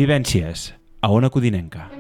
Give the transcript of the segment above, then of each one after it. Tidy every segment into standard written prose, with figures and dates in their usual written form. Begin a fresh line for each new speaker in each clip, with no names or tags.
Vivències, a Ona Codinenca.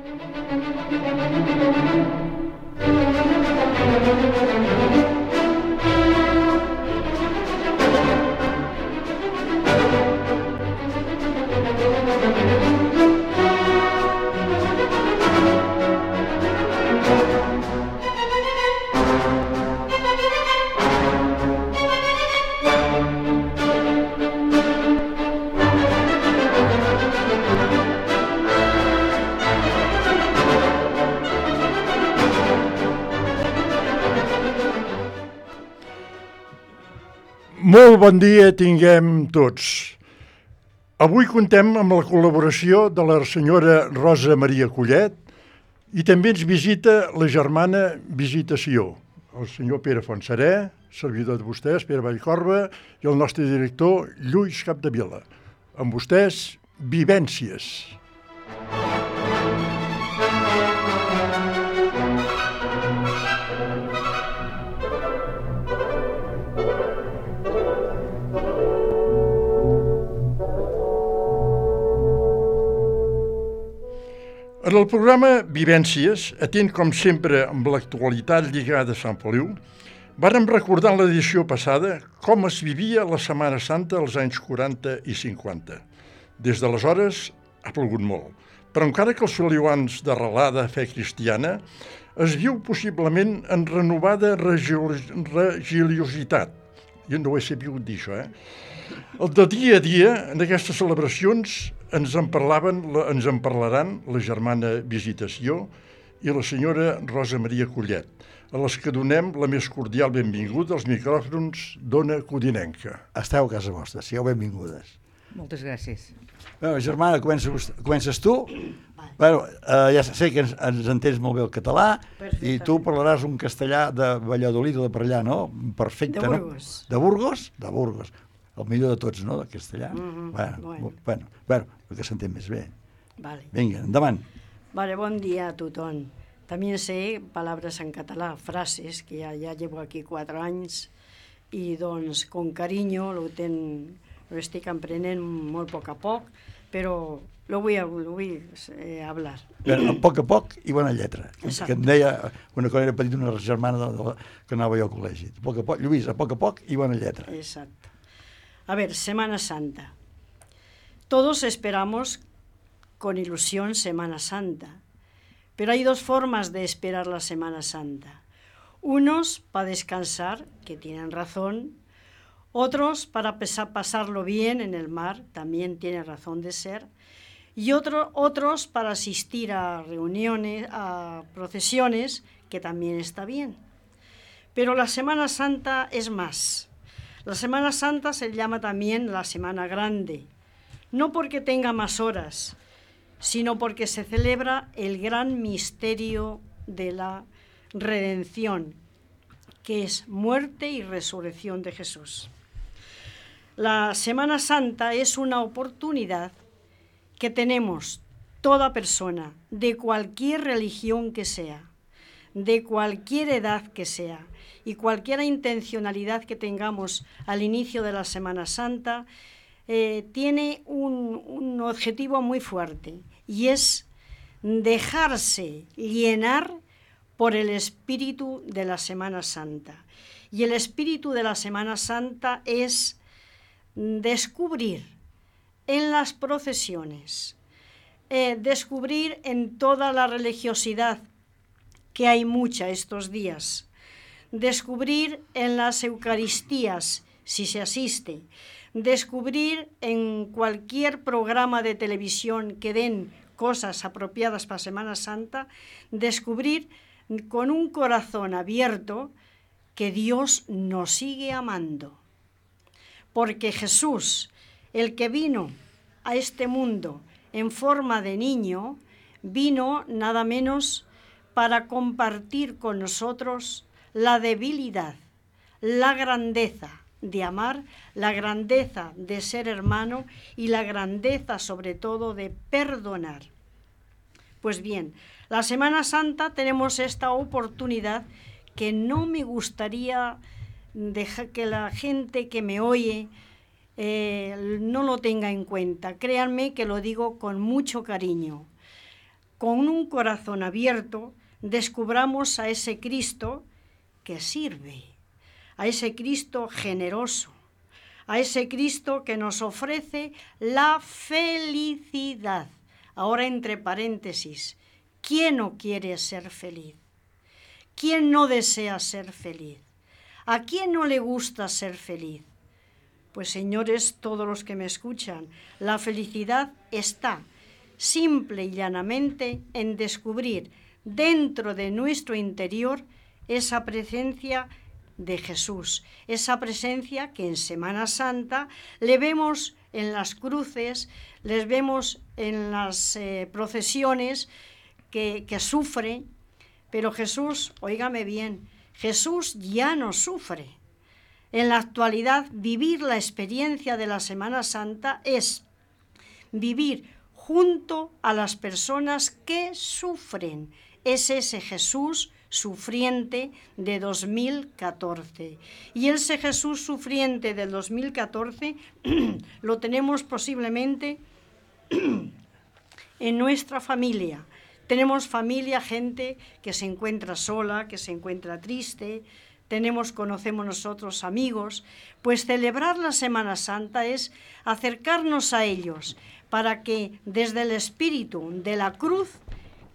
Molt bon dia tinguem tots. Avui contem amb la col·laboració de la senyora Rosa Maria Collet i també ens visita la germana Visitació, el senyor Pere Fontserè, servidor de vostès, Pere Vallcorba, i el nostre director, Lluís Capdevila. Amb vostès, Vivències. En el programa Vivències, atent com sempre amb l'actualitat lligada a Sant Feliu, vàrem recordar en l'edició passada com es vivia la Setmana Santa als anys 40 i 50. Des d'aleshores ha plogut molt, però encara que els feliuans d'arrelada fe cristiana es viu possiblement en renovada religiositat. Jo no ho he sabut dir, això, El de dia a dia, en aquestes celebracions, ens en parlaran la germana Visitació i la senyora Rosa Maria Collet, a les que donem la més cordial benvinguda als micròfons d'Ona Codinenca.
Esteu a casa vostra, sigueu benvingudes.
Moltes gràcies.
Bueno, germana, comences tu. Bueno, ja sé que ens entens molt bé el català i tu parlaràs un castellà de Valladolid o de per allà, no? Perfecte,
de Burgos.
No? De Burgos? De Burgos. El millor de tots, no?, de castellà. Bueno, que s'entén més bé.
Vale.
Vinga, endavant.
Vale, bon dia a tothom. También sé palabras en català, frases, que ya llevo aquí 4 anys i doncs con cariño lo estic aprenent molt a poc, però lo voy a hablar.
A poc i bona lletra.
Exacte.
Que em deia, quan era petit, una germana que anava jo al col·legi. Lluís, a poc i bona lletra.
Exacto. A ver, Semana Santa. Todos esperamos con ilusión Semana Santa, pero hay 2 formas de esperar la Semana Santa. Unos para descansar, que tienen razón, otros para pasarlo bien en el mar, también tienen razón de ser, y otros para asistir a reuniones, a procesiones, que también está bien. Pero la Semana Santa es más. La Semana Santa se llama también la Semana Grande, no porque tenga más horas, sino porque se celebra el gran misterio de la redención, que es muerte y resurrección de Jesús. La Semana Santa es una oportunidad que tenemos toda persona, de cualquier religión que sea, de cualquier edad que sea, y cualquier intencionalidad que tengamos al inicio de la Semana Santa, tiene un objetivo muy fuerte, y es dejarse llenar por el espíritu de la Semana Santa. Y el espíritu de la Semana Santa es descubrir en las procesiones, descubrir en toda la religiosidad, que hay mucha estos días, descubrir en las Eucaristías, si se asiste, descubrir en cualquier programa de televisión que den cosas apropiadas para Semana Santa, descubrir con un corazón abierto que Dios nos sigue amando. Porque Jesús, el que vino a este mundo en forma de niño, vino nada menos para compartir con nosotros la debilidad, la grandeza de amar, la grandeza de ser hermano y la grandeza sobre todo de perdonar. Pues bien, la Semana Santa tenemos esta oportunidad que no me gustaría dejar que la gente que me oye no lo tenga en cuenta. Créanme que lo digo con mucho cariño. Con un corazón abierto, descubramos a ese Cristo que sirve, a ese Cristo generoso, a ese Cristo que nos ofrece la felicidad. Ahora, entre paréntesis, ¿quién no quiere ser feliz? ¿Quién no desea ser feliz? ¿A quién no le gusta ser feliz? Pues señores, todos los que me escuchan, la felicidad está simple y llanamente en descubrir dentro de nuestro interior esa presencia de Jesús, esa presencia que en Semana Santa le vemos en las cruces, les vemos en las procesiones que sufre, pero Jesús, óigame bien, Jesús ya no sufre. En la actualidad, vivir la experiencia de la Semana Santa es vivir junto a las personas que sufren. Es ese Jesús sufriente de 2014. Y ese Jesús sufriente del 2014 lo tenemos posiblemente en nuestra familia. Tenemos familia, gente que se encuentra sola, que se encuentra triste. Conocemos nosotros amigos. Pues celebrar la Semana Santa es acercarnos a ellos para que desde el espíritu de la cruz,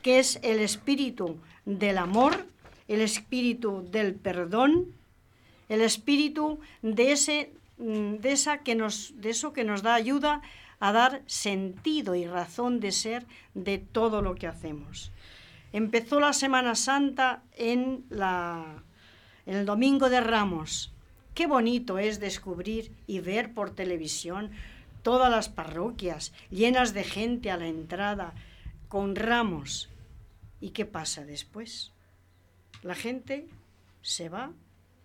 que es el espíritu del amor, el espíritu del perdón, el espíritu de eso que nos da ayuda a dar sentido y razón de ser de todo lo que hacemos. Empezó la Semana Santa en el Domingo de Ramos. Qué bonito es descubrir y ver por televisión todas las parroquias llenas de gente a la entrada con ramos. ¿Y qué pasa después? La gente se va.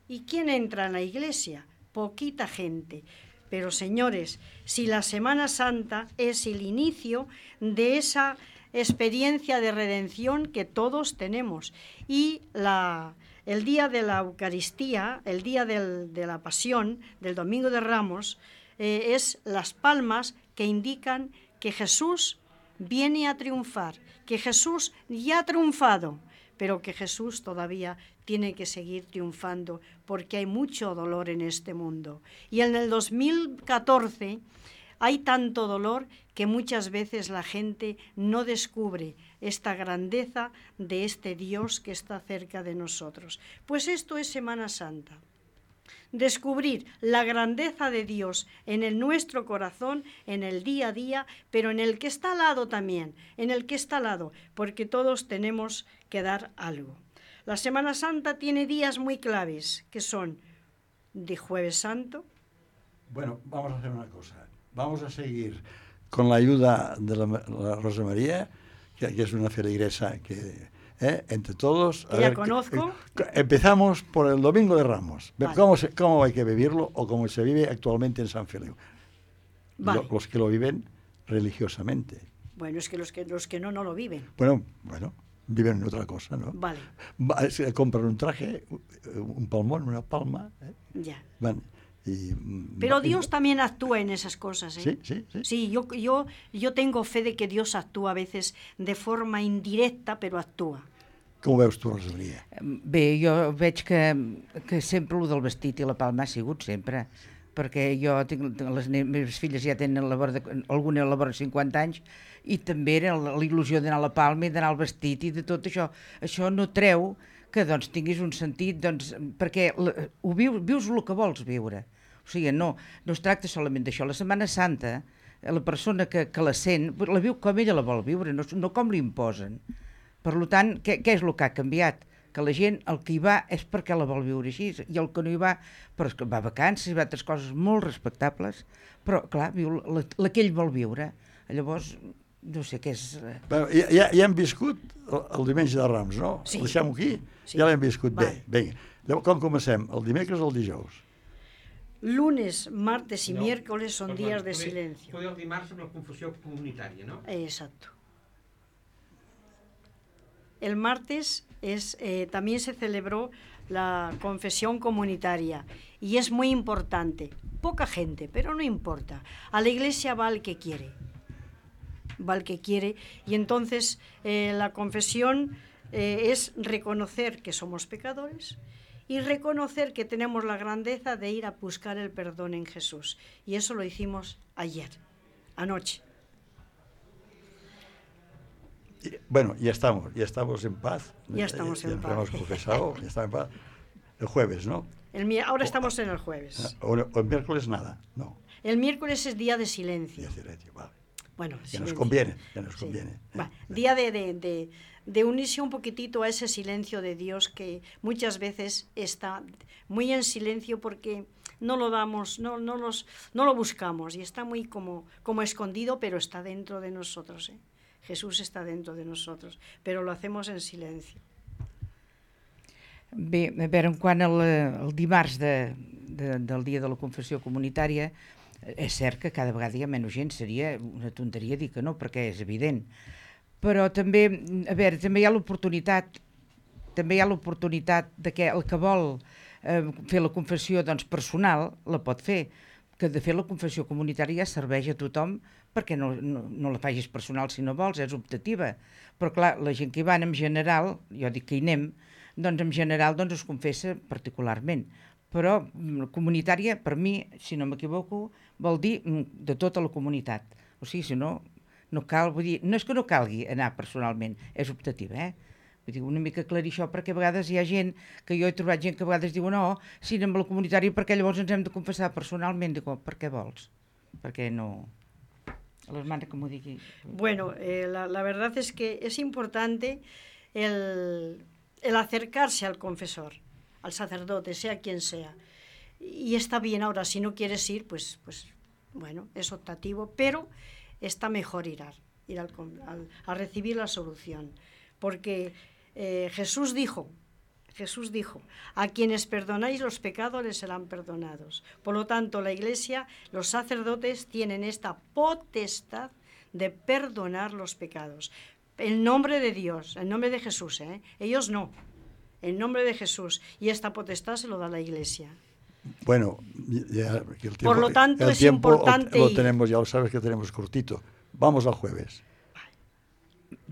¿Y quién entra en la iglesia? Poquita gente. Pero señores, si la Semana Santa es el inicio de esa experiencia de redención que todos tenemos, y el día de la Eucaristía, el día de la Pasión, del Domingo de Ramos, es las palmas que indican que Jesús viene a triunfar, que Jesús ya ha triunfado, pero que Jesús todavía tiene que seguir triunfando porque hay mucho dolor en este mundo. Y en el 2014 hay tanto dolor que muchas veces la gente no descubre esta grandeza de este Dios que está cerca de nosotros. Pues esto es Semana Santa. Descubrir la grandeza de Dios en nuestro corazón, en el día a día, pero en el que está al lado también, porque todos tenemos que dar algo. La Semana Santa tiene días muy claves, que son de Jueves Santo.
Bueno, vamos a hacer una cosa. Vamos a seguir con la ayuda de la Rosa María, que es una feligresa que... entre todos...
Que ya conozco.
Empezamos por el Domingo de Ramos.
Vale.
¿Cómo hay que vivirlo o cómo se vive actualmente en San Feliu?
Vale.
Los que lo viven religiosamente.
Bueno, es que los que no lo viven.
Bueno, viven en otra cosa, ¿no?
Vale.
Compran un traje, un palmón, una palma.
Ya.
Van
Pero Dios también actúa en esas cosas, ¿eh?
Sí.
Sí, yo tengo fe de que Dios actúa a veces de forma indirecta, però actua.
Com ho veus tu, Rosalia?
Bé, jo veig que sempre el del vestit i la palma ha sigut sempre, perquè jo les meves filles ja tenen alguna a la vora 50 anys i també era la il·lusió d'anar a la palma i d'anar al vestit i de tot això. Això no treu que doncs, tinguis un sentit, doncs, perquè vius el que vols viure. O sigui, no es tracta solament d'això. La Setmana Santa, la persona que la sent, la viu com ella la vol viure, no com li imposen. Per tant, què és el que ha canviat? Que la gent, el que hi va és perquè la vol viure així, i el que no hi va, però va a vacances, va a altres coses molt respectables, però, clar, viu la que ell vol viure. Llavors, no sé què és...
Ja hem viscut el diumenge de Rams, no?
Sí.
Deixem-ho aquí?
Sí.
Ja l'hem viscut
Vale.
bé. Vinga. Com comencem? El dimecres o el dijous?
Lunes, martes y miércoles son días de silencio.
Poder el dimarts amb la confusió comunitària, no?
Exacto. El martes también se celebró la confesión comunitaria y es muy importante. Poca gente, pero no importa. A la iglesia va el que quiere. Va el que quiere y entonces la confesión es reconocer que somos pecadores y reconocer que tenemos la grandeza de ir a buscar el perdón en Jesús. Y eso lo hicimos ayer, anoche.
Bueno, ya estamos en paz.
Ya estamos en paz.
Hemos confesado, ya estamos en paz. El jueves, ¿no?
Ahora estamos en el jueves.
O el miércoles nada, no.
El miércoles es día de silencio.
Día de silencio, vale.
Bueno,
ya nos conviene.
Va, día de unirse un poquitito a ese silencio de Dios que muchas veces está muy en silencio porque no lo damos, no lo buscamos y está muy como escondido, pero está dentro de nosotros. Jesús está dentro de nosotros, però lo hacemos en silenci.
Bé, a veure, quant al dimarts del dia de la confessió comunitària, és cert que cada vegada hi ha menys gent, seria una tonteria dir que no, perquè és evident. Però també, a veure, també hi ha l'oportunitat de que el que vol fer la confessió doncs, personal la pot fer, que de fet la confessió comunitària serveix a tothom perquè no la facis personal si no vols, és optativa. Però clar, la gent que hi van en general, jo dic que hi anem, doncs en general doncs es confessa particularment. Però comunitària, per mi, si no m'equivoco, vol dir de tota la comunitat. O sigui, si no cal, vull dir, no és que no calgui anar personalment, és optativa, Vull dir, una mica aclarir això, perquè a vegades hi ha gent, que jo he trobat gent que a vegades diuen no, si anem a la comunitària perquè llavors ens hem de confessar personalment. Dic, per què vols? Perquè no... A l'hermana que m'ho digui.
Bueno, la verdad es que es importante el acercarse al confesor, al sacerdote, sea quien sea. Y está bien ahora, si no quieres ir, pues bueno, es optativo, pero está mejor ir a recibir la solución. Porque Jesús dijo, a quienes perdonáis los pecados les serán perdonados. Por lo tanto, la Iglesia, los sacerdotes tienen esta potestad de perdonar los pecados. En nombre de Dios, en nombre de Jesús, ellos no, en nombre de Jesús. Y esta potestad se lo da la Iglesia.
Bueno, ya, el tiempo,
por lo tanto es
tiempo
importante
lo tenemos, ya lo sabes que tenemos cortito. Vamos al jueves.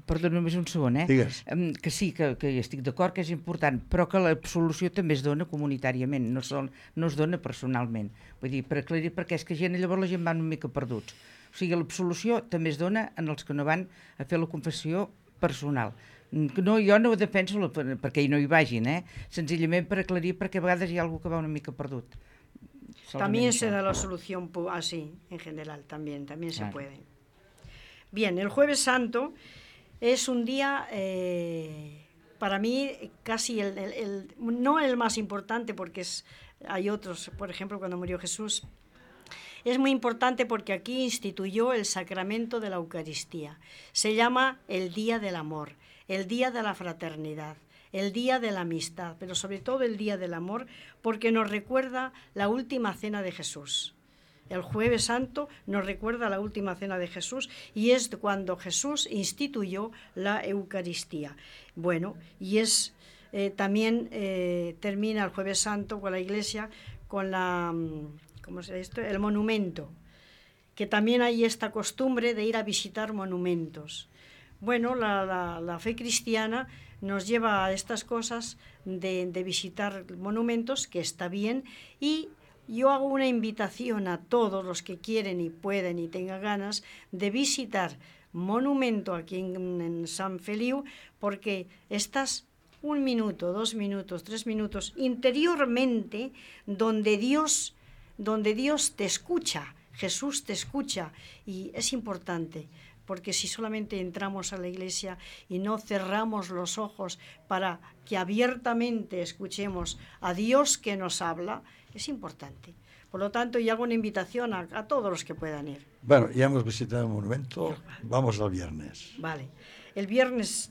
Perdó, només un segon,
Digues.
Que sí, que estic d'acord que és important, però que l'absolució també es dona comunitàriament, no es dona personalment. Vull dir, per aclarir, perquè és que llavors la gent va una mica perduts. O sigui, l'absolució també es dona en els que no van a fer la confessió personal. No, jo no ho defenso perquè hi no hi vagin, senzillament per aclarir, perquè a vegades hi ha algú que va una mica perdut.
También se da la solución así, en general, también se puede. Bien, el Jueves Santo es un día, para mí, casi no el más importante, porque hay otros, por ejemplo, cuando murió Jesús. Es muy importante porque aquí instituyó el sacramento de la Eucaristía. Se llama el Día del Amor, el Día de la Fraternidad, el Día de la Amistad, pero sobre todo el Día del Amor, porque nos recuerda la última cena de Jesús. El Jueves Santo nos recuerda la última cena de Jesús y es cuando Jesús instituyó la Eucaristía. Bueno, y también termina el Jueves Santo con la Iglesia con el monumento, que también hay esta costumbre de ir a visitar monumentos. Bueno, la fe cristiana nos lleva a estas cosas de visitar monumentos, que está bien, y yo hago una invitación a todos los que quieren y pueden y tengan ganas de visitar monumento aquí en Sant Feliu, porque estás 1 minuto, 2 minutos, 3 minutos interiormente donde Dios te escucha, Jesús te escucha, y es importante, porque si solamente entramos a la iglesia y no cerramos los ojos para que abiertamente escuchemos a Dios que nos habla, es importante. Por lo tanto, yo hago una invitación a todos los que puedan ir.
Bueno, ya hemos visitado el monumento, vamos al viernes.
Vale, el viernes...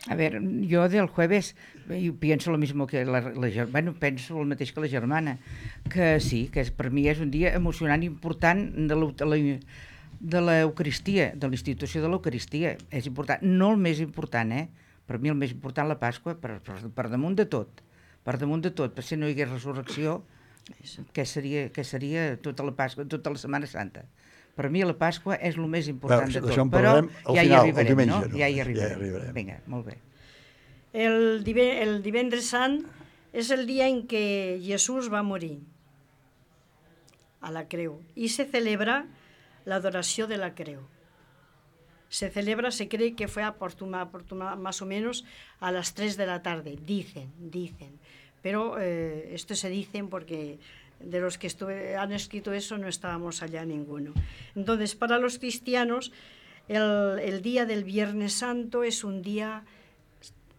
A ver, yo del jueves pienso lo mismo que penso el mateix que la germana, que sí, que per mi és un dia emocionant i important de l'Eucaristia, de la institució de l'Eucaristia. És important, no el més important, Per mi el més important la Pasqua, per damunt de tot. Per damunt de tot, per si no hi hagués resurrecció, què seria tota la Pasqua, tota la Setmana Santa? Per mi la Pasqua és el més important de tot, però ja hi arribarem, no? Ja hi arribarem. Vinga, molt bé.
El divendres sant és el dia en què Jesús va morir a la creu i se celebra l'adoració de la creu. Se cree que fue más o menos a las 3 de la tarde, dicen. Pero esto se dicen porque de los que han escrito eso no estábamos allá ninguno. Entonces, para los cristianos, el día del Viernes Santo es un día,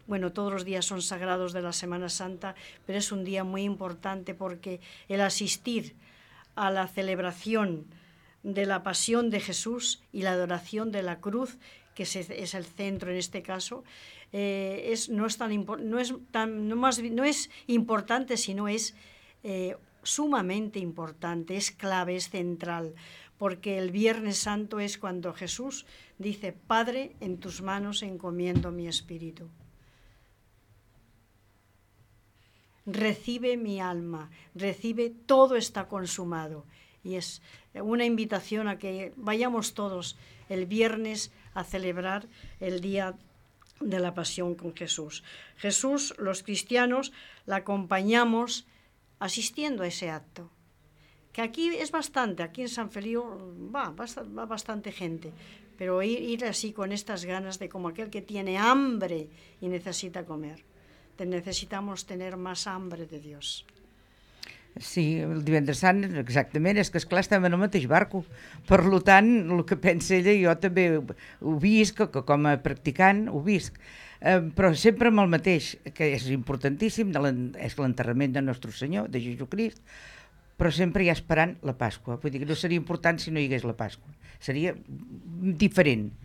bueno, todos los días son sagrados de la Semana Santa, pero es un día muy importante porque el asistir a la celebración de la pasión de Jesús y la adoración de la cruz, que es el centro en este caso, no es importante, sino es sumamente importante, es clave, es central, porque el Viernes Santo es cuando Jesús dice: Padre, en tus manos encomiendo mi espíritu. Recibe mi alma, recibe, todo está consumado. Y es una invitación a que vayamos todos el viernes a celebrar el día de la pasión con Jesús. Jesús, los cristianos, la acompañamos asistiendo a ese acto. Que aquí es bastante, aquí en San Feliu va bastante gente, pero ir así con estas ganas de como aquel que tiene hambre y necesita comer. Necesitamos tener más hambre de Dios.
Sí, el divendres sant, exactament, és que esclar estem en el mateix barco. Per tant, el que pensa ella, jo també ho visc, que com a practicant ho visc, però sempre amb el mateix, que és importantíssim, és l'enterrament de Nostre Senyor, de Jesucrist, però sempre hi ha esperant la Pasqua. Vull dir que no seria important si no hi hagués la Pasqua. Seria diferent.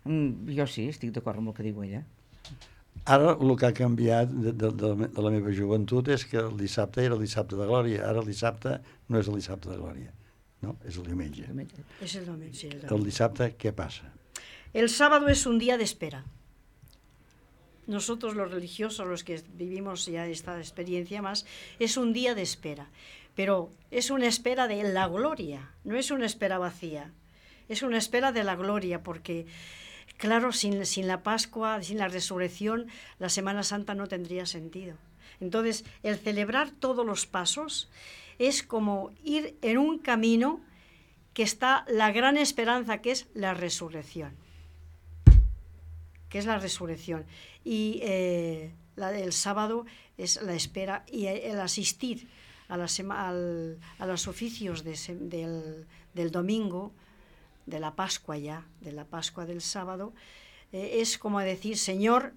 Jo sí, estic d'acord amb el que diu ella.
Ara el que ha canviat de la meva joventut és que el dissabte era el dissabte de Glòria, ara el dissabte no és el dissabte de Glòria, no? És el diumenge.
Es el domingo, sí,
El dissabte què passa?
El sábado es un día de espera. Nosotros los religiosos, los que vivimos ya esta experiencia más, es un día de espera, pero es una espera de la gloria, no es una espera vacía, es una espera de la gloria, porque claro, sin la Pascua, sin la resurrección, la Semana Santa no tendría sentido. Entonces, el celebrar todos los pasos es como ir en un camino que está la gran esperanza, que es la resurrección. Y el sábado es la espera y el asistir a los oficios del domingo, de la Pascua ya, de la Pascua del sábado, es como decir: Señor,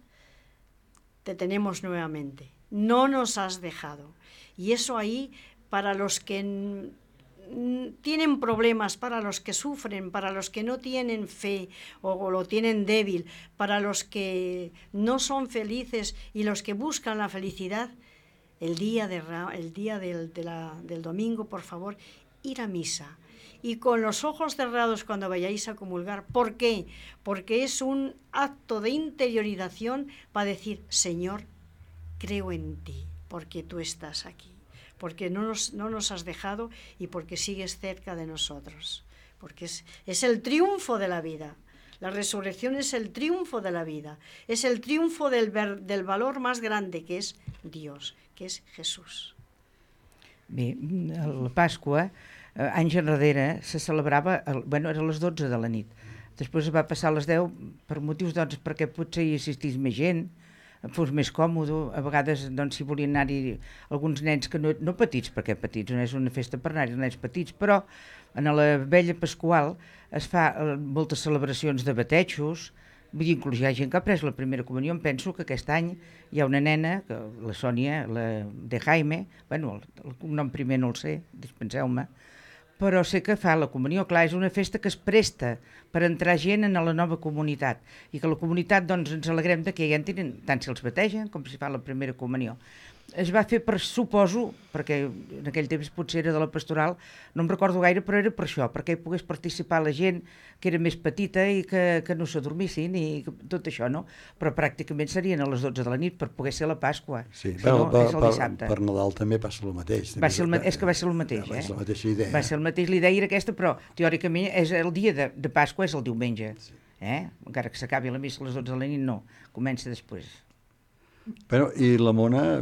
te tenemos nuevamente, no nos has dejado. Y eso ahí, para los que tienen problemas, para los que sufren, para los que no tienen fe o lo tienen débil, para los que no son felices y los que buscan la felicidad, el día del domingo, por favor, ir a misa. Y con los ojos cerrados cuando vayáis a comulgar. ¿Por qué? Porque es un acto de interiorización para decir: Señor, creo en ti, porque tú estás aquí, porque no nos has dejado y porque sigues cerca de nosotros. Porque es el triunfo de la vida. La resurrección es el triunfo de la vida. Es el triunfo del valor más grande, que es Dios, que és Jesús.
Bé, la Pasqua, anys enrere, se celebrava, era a les 12 de la nit. Després va passar a les 10 per motius, doncs, perquè potser hi assistís més gent, fos més còmode. A vegades, doncs, si volien anar-hi alguns nens que no petits, perquè petits no és una festa per anar-hi, nens petits, però en la vella Pasqual es fa moltes celebracions de batejos. Vull dir, inclús hi ha gent que ha pres la primera comunió. Em penso que aquest any hi ha una nena, la Sònia, la de Jaime, bueno, el cognom primer no el sé, dispenseu-me, però sé que fa la comunió. Clar, és una festa que es presta per entrar gent en la nova comunitat, i que la comunitat, doncs, ens alegrem de que hi entrin, tant si els bategen com si fa la primera comunió. es va fer per, suposo, perquè en aquell temps potser era de la pastoral, no em recordo gaire, però era per això, perquè hi pogués participar la gent que era més petita i que no s'adormissin i tot això, no? Però pràcticament serien a les 12 de la nit per poder ser la Pasqua.
Sí,
Si
però
no, és el dissabte.
per Nadal també passa el mateix.
És que va ser el mateix,
Va ser la mateixa idea.
Va ser el mateix, l'idea era aquesta, però teòricament és el dia de Pasqua és el diumenge. Encara que s'acabi la missa a les 12 de la nit, no, comença després.
Però, i la Mona,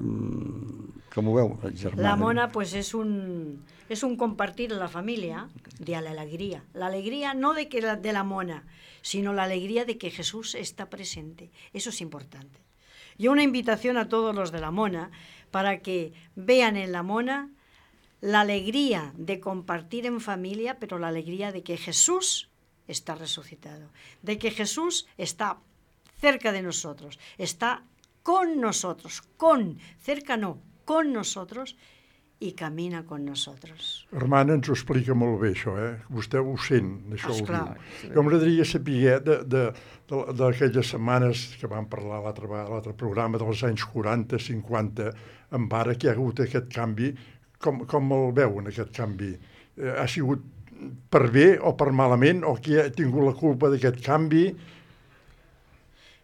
com ho veu, germana?
La Mona pues es un compartir en la familia de la alegría no de la Mona, sino la alegría de que Jesús está presente. Eso es importante. Y una invitación a todos los de la Mona para que vean en la Mona la alegría de compartir en familia, pero la alegría de que Jesús está resucitado, de que Jesús está cerca de nosotros, está con nosotros, cerca no, con nosotros, i camina con nosotros.
Hermana, ens ho explica molt bé, això, Vostè ho sent, això ho
Esclar.
diu. Jo m'agradaria saber d'aquelles setmanes que vam parlar a l'altre programa dels anys 40, 50, amb ara que hi ha hagut aquest canvi, com el veuen, aquest canvi? Ha sigut per bé o per malament, o qui ha tingut la culpa d'aquest canvi?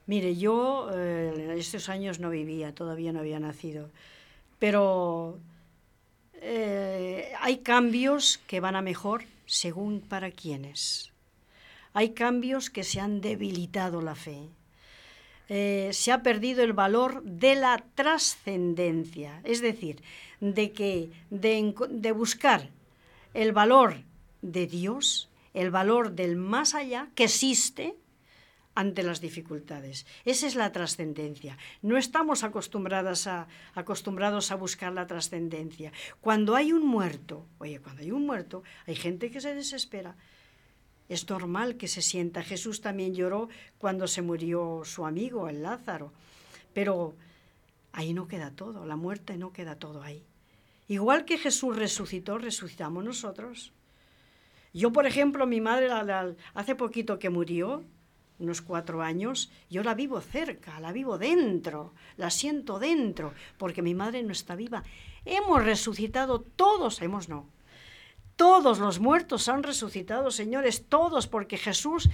Mire, yo en estos años no vivía, todavía no había nacido, pero hay cambios que van a mejor según para quienes. Hay cambios que se han debilitado la fe. Se ha perdido el valor de la trascendencia, es decir, de buscar el valor de Dios, el valor del más allá que existe ante las dificultades. Esa es la trascendencia. No estamos acostumbrados a buscar la trascendencia. Cuando hay un muerto, hay gente que se desespera. Es normal que se sienta. Jesús también lloró cuando se murió su amigo, el Lázaro. Pero ahí no queda todo, la muerte no queda todo ahí. Igual que Jesús resucitó, resucitamos nosotros. Yo, por ejemplo, mi madre hace poquito que murió, unos 4 años, yo la vivo cerca, la vivo dentro, la siento dentro, porque mi madre no está viva. Hemos resucitado todos, todos los muertos han resucitado, señores, todos, porque Jesús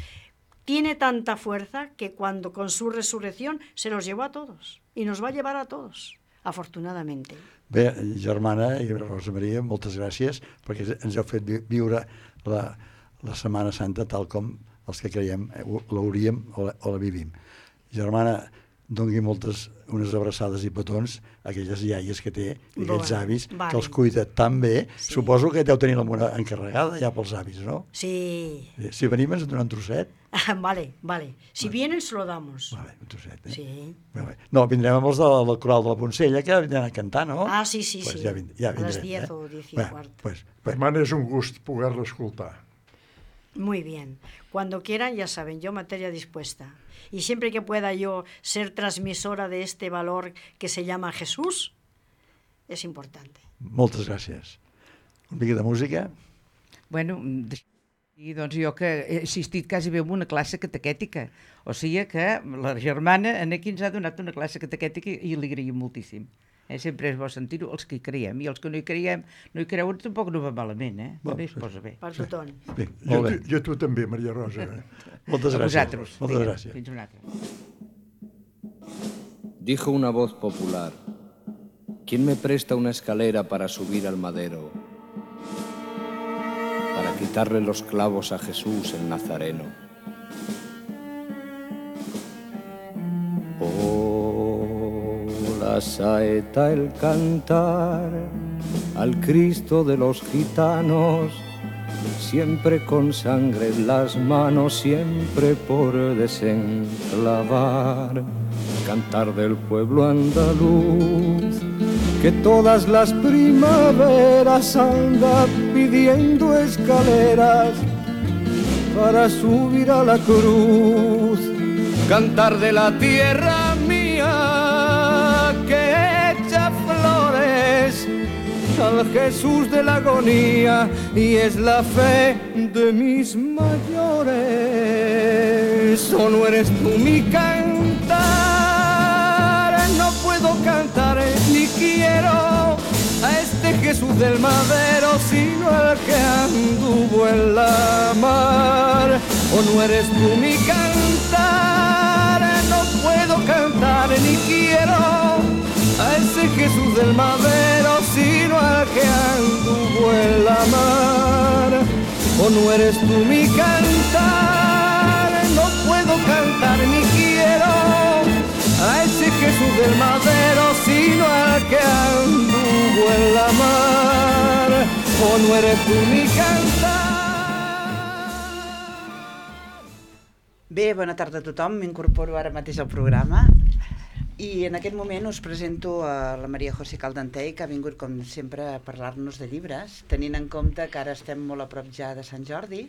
tiene tanta fuerza que cuando con su resurrección se los llevó a todos y nos va a llevar a todos, afortunadamente.
Bé, germana i Rosa Maria, moltes gràcies perquè ens heu fet viure la Setmana Santa tal com els que creiem l'hauríem o la vivim. Germana, doni unes abraçades i petons a aquelles iaies que té i aquells avis que els cuida tan bé. Sí. Suposo que deu tenir la Mona encarregada ja pels avis, no?
Sí.
Si venim ens donen un trosset.
Vale. Si vienen, se lo damos.
Vale, un trosset,
Sí.
No, vindrem amb els del coral de la Poncella, que vindran a cantar, no?
Ah, sí.
Pues ja vindrem.
A les 10 o 10 y cuarto.
Hermana, és un gust poder-la escoltar.
Muy bien. Cuando quieran, ya saben, yo materia dispuesta. Y siempre que pueda yo ser transmisora de este valor que se llama Jesús, es importante.
Moltes gràcies. Una mica de música?
Bueno, i doncs jo que he assistit quasi bé a una classe catequètica, o sigui que la germana aquí ens ha donat una classe catequètica i li agraïm moltíssim. Sempre és bo sentir-ho, els que hi creiem, i els que no hi creuen tampoc no va malament, també es posa bé.
Per tothom.
Bé, molt bé.
Jo tu també, Maria Rosa.
Moltes gràcies.
A vosaltres.
Moltes gràcies.
Fins una altra.
Dijo una voz popular: ¿quién me presta una escalera para subir al madero? Para quitarle los clavos a Jesús el Nazareno. La saeta, el cantar al Cristo de los gitanos, siempre con sangre en las manos, siempre por desenclavar. Cantar del pueblo andaluz, que todas las primaveras anda pidiendo escaleras para subir a la cruz. Cantar de la tierra mía que echa flores al Jesús de la agonía, y es la fe de mis mayores. ¿O no eres tú mi cantar? No puedo cantar ni quiero Jesús del Madero, sino el que anduvo en la mar. ¿O no eres tú mi cantar? No puedo cantar ni quiero a ese Jesús del Madero, sino al que anduvo en la mar. ¿O no eres tú mi cantar? No puedo cantar ni quiero a ese Jesús del Madero, sino al que anduvo en la mar. ¿O no eres tú mi cantar?
Bé, bona tarda a tothom, m'incorporo ara mateix al programa i en aquest moment us presento a la Maria José Caldentey, que ha vingut com sempre a parlar-nos de llibres, tenint en compte que ara estem molt a prop ja de Sant Jordi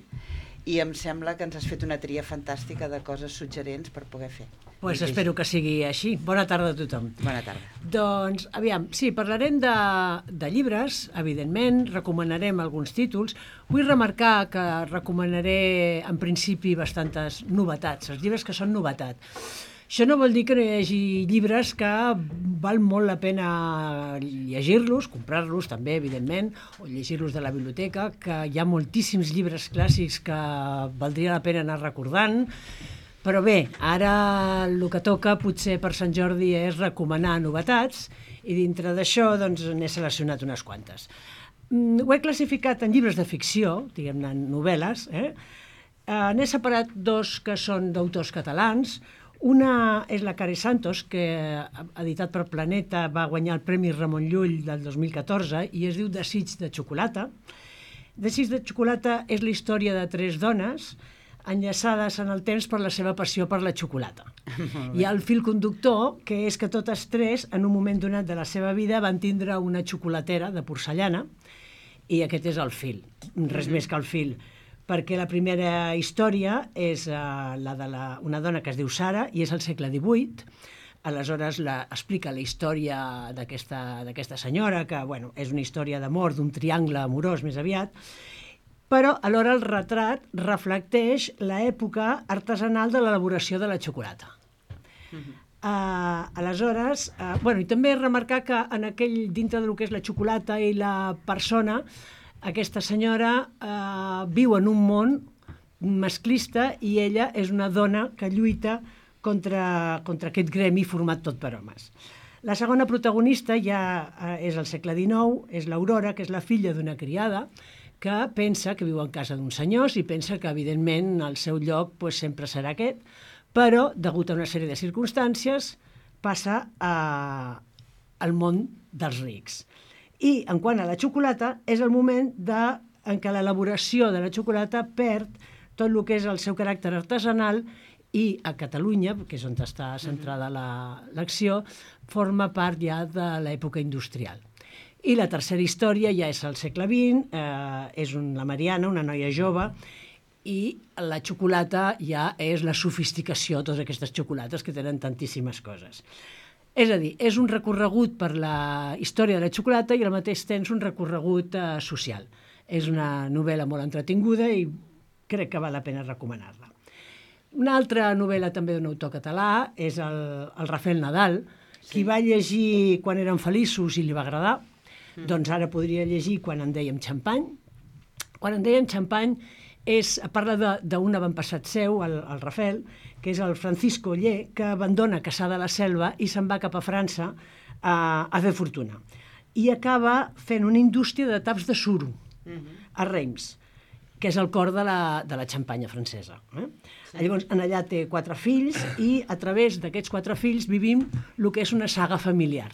i em sembla que ens has fet una tria fantàstica de coses suggerents per poder fer.
Pues espero que sigui així. Bona tarda a tothom.
Bona tarda.
Doncs, aviam, sí, parlarem de llibres, evidentment, recomanarem alguns títols. Vull remarcar que recomanaré, en principi, bastantes novetats, els llibres que són novetat. Això no vol dir que no hi hagi llibres que val molt la pena llegir-los, comprar-los també, evidentment, o llegir-los de la biblioteca, que hi ha moltíssims llibres clàssics que valdria la pena anar recordant. Però bé, ara el que toca potser per Sant Jordi és recomanar novetats i dintre d'això doncs, n'he seleccionat unes quantes. Ho he classificat en llibres de ficció, diguem-ne novel·les. N'he separat dos que són d'autors catalans. Una és la Care Santos, que editat per Planeta va guanyar el Premi Ramon Llull del 2014 i es diu Desig de xocolata. Desig de xocolata és la història de 3 dones enllaçades en el temps per la seva passió per la xocolata. Hi ha el fil conductor, que és que totes 3, en un moment donat de la seva vida, van tindre una xocolatera de porcellana, i aquest és el fil, res més que el fil, perquè la primera història és la de una dona que es diu Sara, i és al segle XVIII. Aleshores explica la història d'aquesta senyora, que és una història d'amor, d'un triangle amorós més aviat, però alhora el retrat reflecteix l'època artesanal de l'elaboració de la xocolata. Aleshores, i també remarcar que dintre del que és la xocolata i la persona, aquesta senyora viu en un món masclista i ella és una dona que lluita contra aquest gremi format tot per homes. La segona protagonista ja és al segle XIX, és l'Aurora, que és la filla d'una criada, que pensa que viu en casa d'uns senyors i pensa que, evidentment, el seu lloc sempre serà aquest, però, degut a una sèrie de circumstàncies, passa al món dels rics. I, en quant a la xocolata, és el moment en què l'elaboració de la xocolata perd tot el que és el seu caràcter artesanal i a Catalunya, que és on està centrada l'acció, forma part ja de l'època industrial. I la tercera història ja és al segle XX, és la Mariana, una noia jove, i la xocolata ja és la sofisticació, totes aquestes xocolates que tenen tantíssimes coses. És a dir, és un recorregut per la història de la xocolata i al mateix temps un recorregut social. És una novel·la molt entretinguda i crec que val la pena recomanar-la. Una altra novel·la també d'un autor català és el Rafael Nadal, qui va llegir Quan érem feliços i li va agradar. Doncs ara podria llegir Quan en dèiem xampany. Quan en dèiem xampany parla d'un avantpassat seu, el Rafael, que és el Francisco Oller, que abandona Cassà de la Selva i se'n va cap a França a fer fortuna. I acaba fent una indústria de taps de suro a Reims, que és el cor de la xampanya francesa. Llavors, allà té 4 fills i a través d'aquests 4 fills vivim el que és una saga familiar.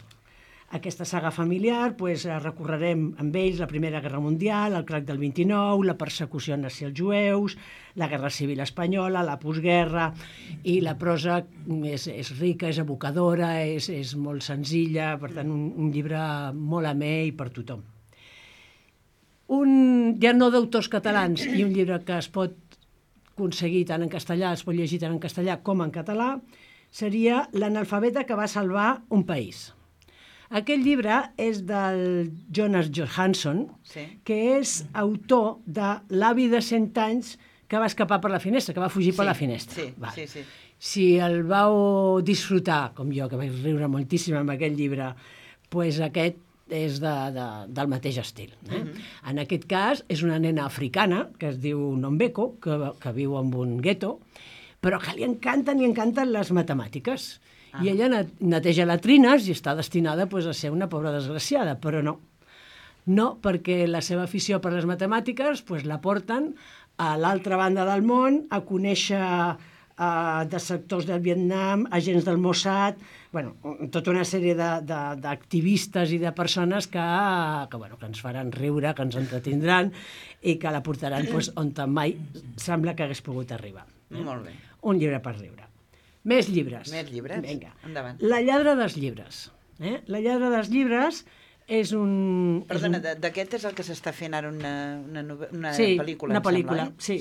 Aquesta saga familiar recorrerem amb ells la Primera Guerra Mundial, el crac del 29, la persecució nazi als jueus, la Guerra Civil Espanyola, la postguerra, i la prosa és rica, és evocadora, és molt senzilla, per tant, un llibre molt amè i per tothom. Ja no d'autors catalans i un llibre que es pot aconseguir tant en castellà, es pot llegir tant en castellà com en català, seria L'analfabeta que va salvar un país. Aquest llibre és del Jonas Johansson, que és autor de L'avi de 100 anys que va escapar per la finestra, que va fugir per la finestra. Si el vau disfrutar, com jo, que vaig riure moltíssim amb aquest llibre, aquest del mateix estil. En aquest cas, és una nena africana, que es diu Nombeko, que viu en un gueto, però que li encanten les matemàtiques. I ella neteja latrines i està destinada a ser una pobra desgraciada, però no. No, perquè la seva afició per les matemàtiques la porten a l'altra banda del món a conèixer de sectors del Vietnam, agents del Mossad, tota una sèrie d'activistes i de persones que ens faran riure, que ens entretindran i que la portaran on mai sembla que hagués pogut arribar.
Molt bé.
Un llibre per riure. Més llibres.
Més llibres?
Vinga.
Endavant.
La lladra dels llibres. La lladra dels llibres és un...
Perdona, d'aquest és el que s'està fent ara una pel·lícula,
una pel·lícula,
em sembla,
sí.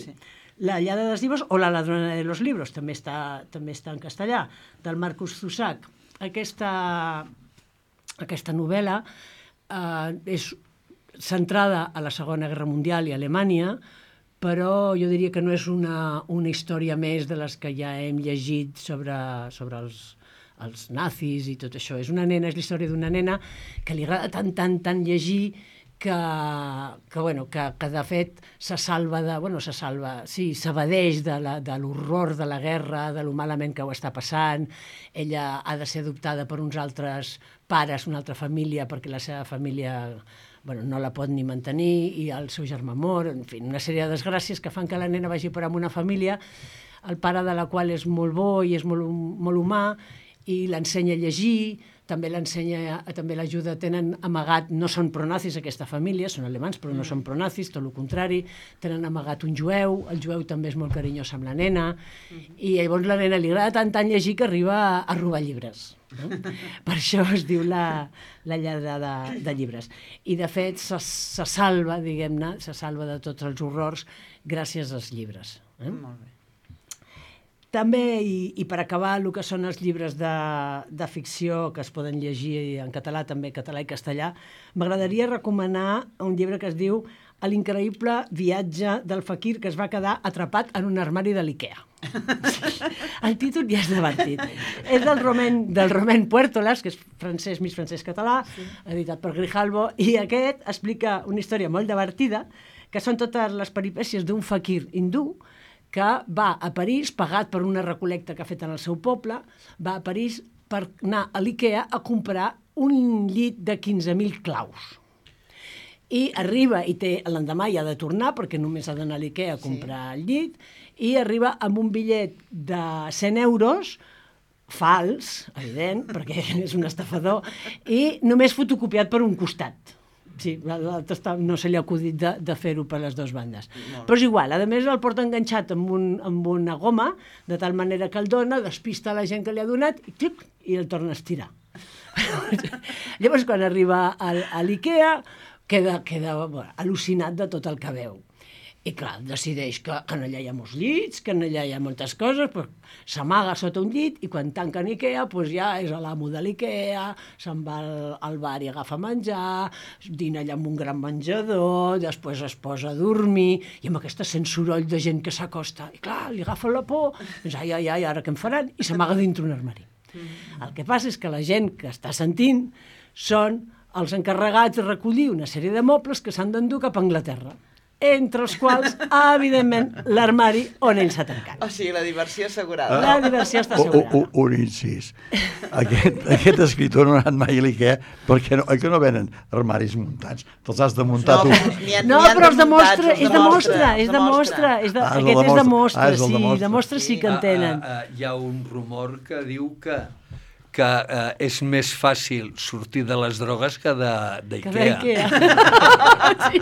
La lladra dels llibres o La ladrona de los libros, també està en castellà, del Marcus Zusak. Aquesta novel·la és centrada a la Segona Guerra Mundial i a Alemanya, però jo diria que no és una història més de les que ja hem llegit sobre els nazis i tot això. És la història d'una nena que li agrada tant llegir que de fet s'evadeix de l'horror de la guerra, de lo malament que ho està passant. Ella ha de ser adoptada per uns altres pares, una altra família, perquè la seva família no la pot ni mantenir, i el seu germà mor, en fi, una sèrie de desgràcies que fan que la nena vagi per amb una família, el pare de la qual és molt bo i és molt humà, i l'ensenya a llegir, també l'ajuda, tenen amagat, no són pronazis aquesta família, són alemans però no són pronazis, tot el contrari, tenen amagat un jueu, el jueu també és molt carinyós amb la nena, i llavors la nena li agrada tant llegir que arriba a robar llibres. Per això es diu la lladra de llibres. I de fet se salva, diguem-ne, de tots els horrors gràcies als llibres.
Molt bé.
També, i per acabar, el que són els llibres de ficció que es poden llegir en català, també català i castellà, m'agradaria recomanar un llibre que es diu L'increïble viatge del fakir que es va quedar atrapat en un armari de l'IKEA. El títol ja és divertit. És del Romain Puertolas, que és francès, mig francès-català, editat per Grijalbo, i aquest explica una història molt divertida, que són totes les peripècies d'un fakir hindú que va a París, pagat per una recol·lecta que ha fet en el seu poble, va a París per anar a l'IKEA a comprar un llit de 15.000 claus. I arriba, i l'endemà hi ha de tornar, perquè només ha d'anar a l'IKEA a comprar el llit, i arriba amb un bitllet de 100 euros, fals, evident, perquè és un estafador, i només fotocopiat per un costat. Sí, l'altre no se li ha acudit de fer-ho per les dues bandes. Però és igual, a més el porta enganxat amb una goma, de tal manera que el dona, despista la gent que li ha donat, i el torna a estirar. Llavors, quan arriba a l'IKEA, queda al·lucinat de tot el que veu. I clar, decideix que allà hi ha molts llits, que allà hi ha moltes coses, però s'amaga sota un llit, i quan tanquen IKEA ja és l'amo de l'IKEA, se'n va al bar i agafa menjar, dina allà amb un gran menjador, després es posa a dormir, i amb aquesta sent soroll de gent que s'acosta, i clar, li agafa la por, doncs ai, ara què em faran? I s'amaga dintre un armari. El que passa és que la gent que està sentint són els encarregats de recollir una sèrie de mobles que s'han d'endur cap a Anglaterra, entre els quals, evidentment, l'armari on ell s'ha tancat.
O sigui, la diversió assegurada.
La diversió està assegurada.
Un incís. Aquest escriptor no ha anat mai a l'IKEA perquè no venen armaris muntats. Te'ls has de muntar tu.
No, però és de mostra. Aquest és de mostra, sí. De mostra sí que en tenen.
Hi ha un rumor que diu que és més fàcil sortir de les drogues que d'IKEA.
Sí.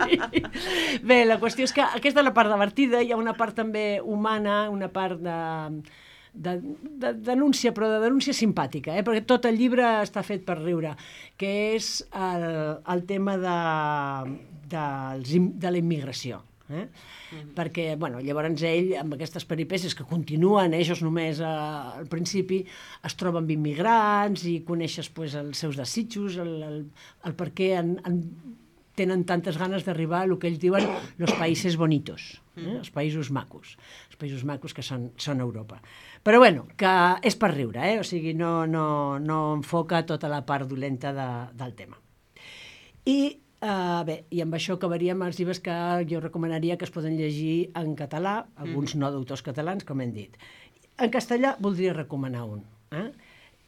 Bé, la qüestió és que aquesta és la part divertida, hi ha una part també humana, una part de denúncia, però de denúncia simpàtica, perquè tot el llibre està fet per riure, que és el tema de la immigració. Perquè, llavors ell, amb aquestes peripècies que continuen, ells només al principi es troben amb immigrants i coneixes els seus desitjos, el per què tenen tantes ganes d'arribar a el que ells diuen los países bonitos, els països macos que són Europa. Però que és per riure, o sigui, no enfoca tota la part dolenta del tema. I bé, i amb això acabaríem els llibres que jo recomanaria que es poden llegir en català, alguns no d'autors catalans, com hem dit. En castellà voldria recomanar un,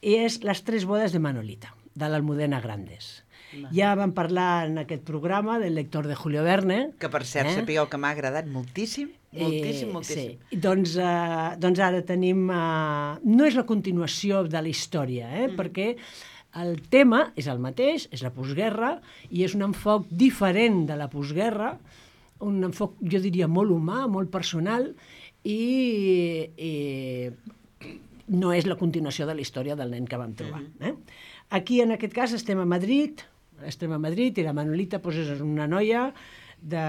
i és Les tres bodes de Manolita, de l'Almudena Grandes. Ja vam parlar en aquest programa del lector de Julio Verne.
Que, per cert, sapigueu que m'ha agradat moltíssim, moltíssim.
Sí. Doncs ara tenim... no és la continuació de la història, perquè el tema és el mateix, és la postguerra, i és un enfoc diferent de la postguerra, un enfoc, jo diria, molt humà, molt personal, i no és la continuació de la història del nen que vam trobar. Aquí, en aquest cas, estem a Madrid, i la Manolita és una noia de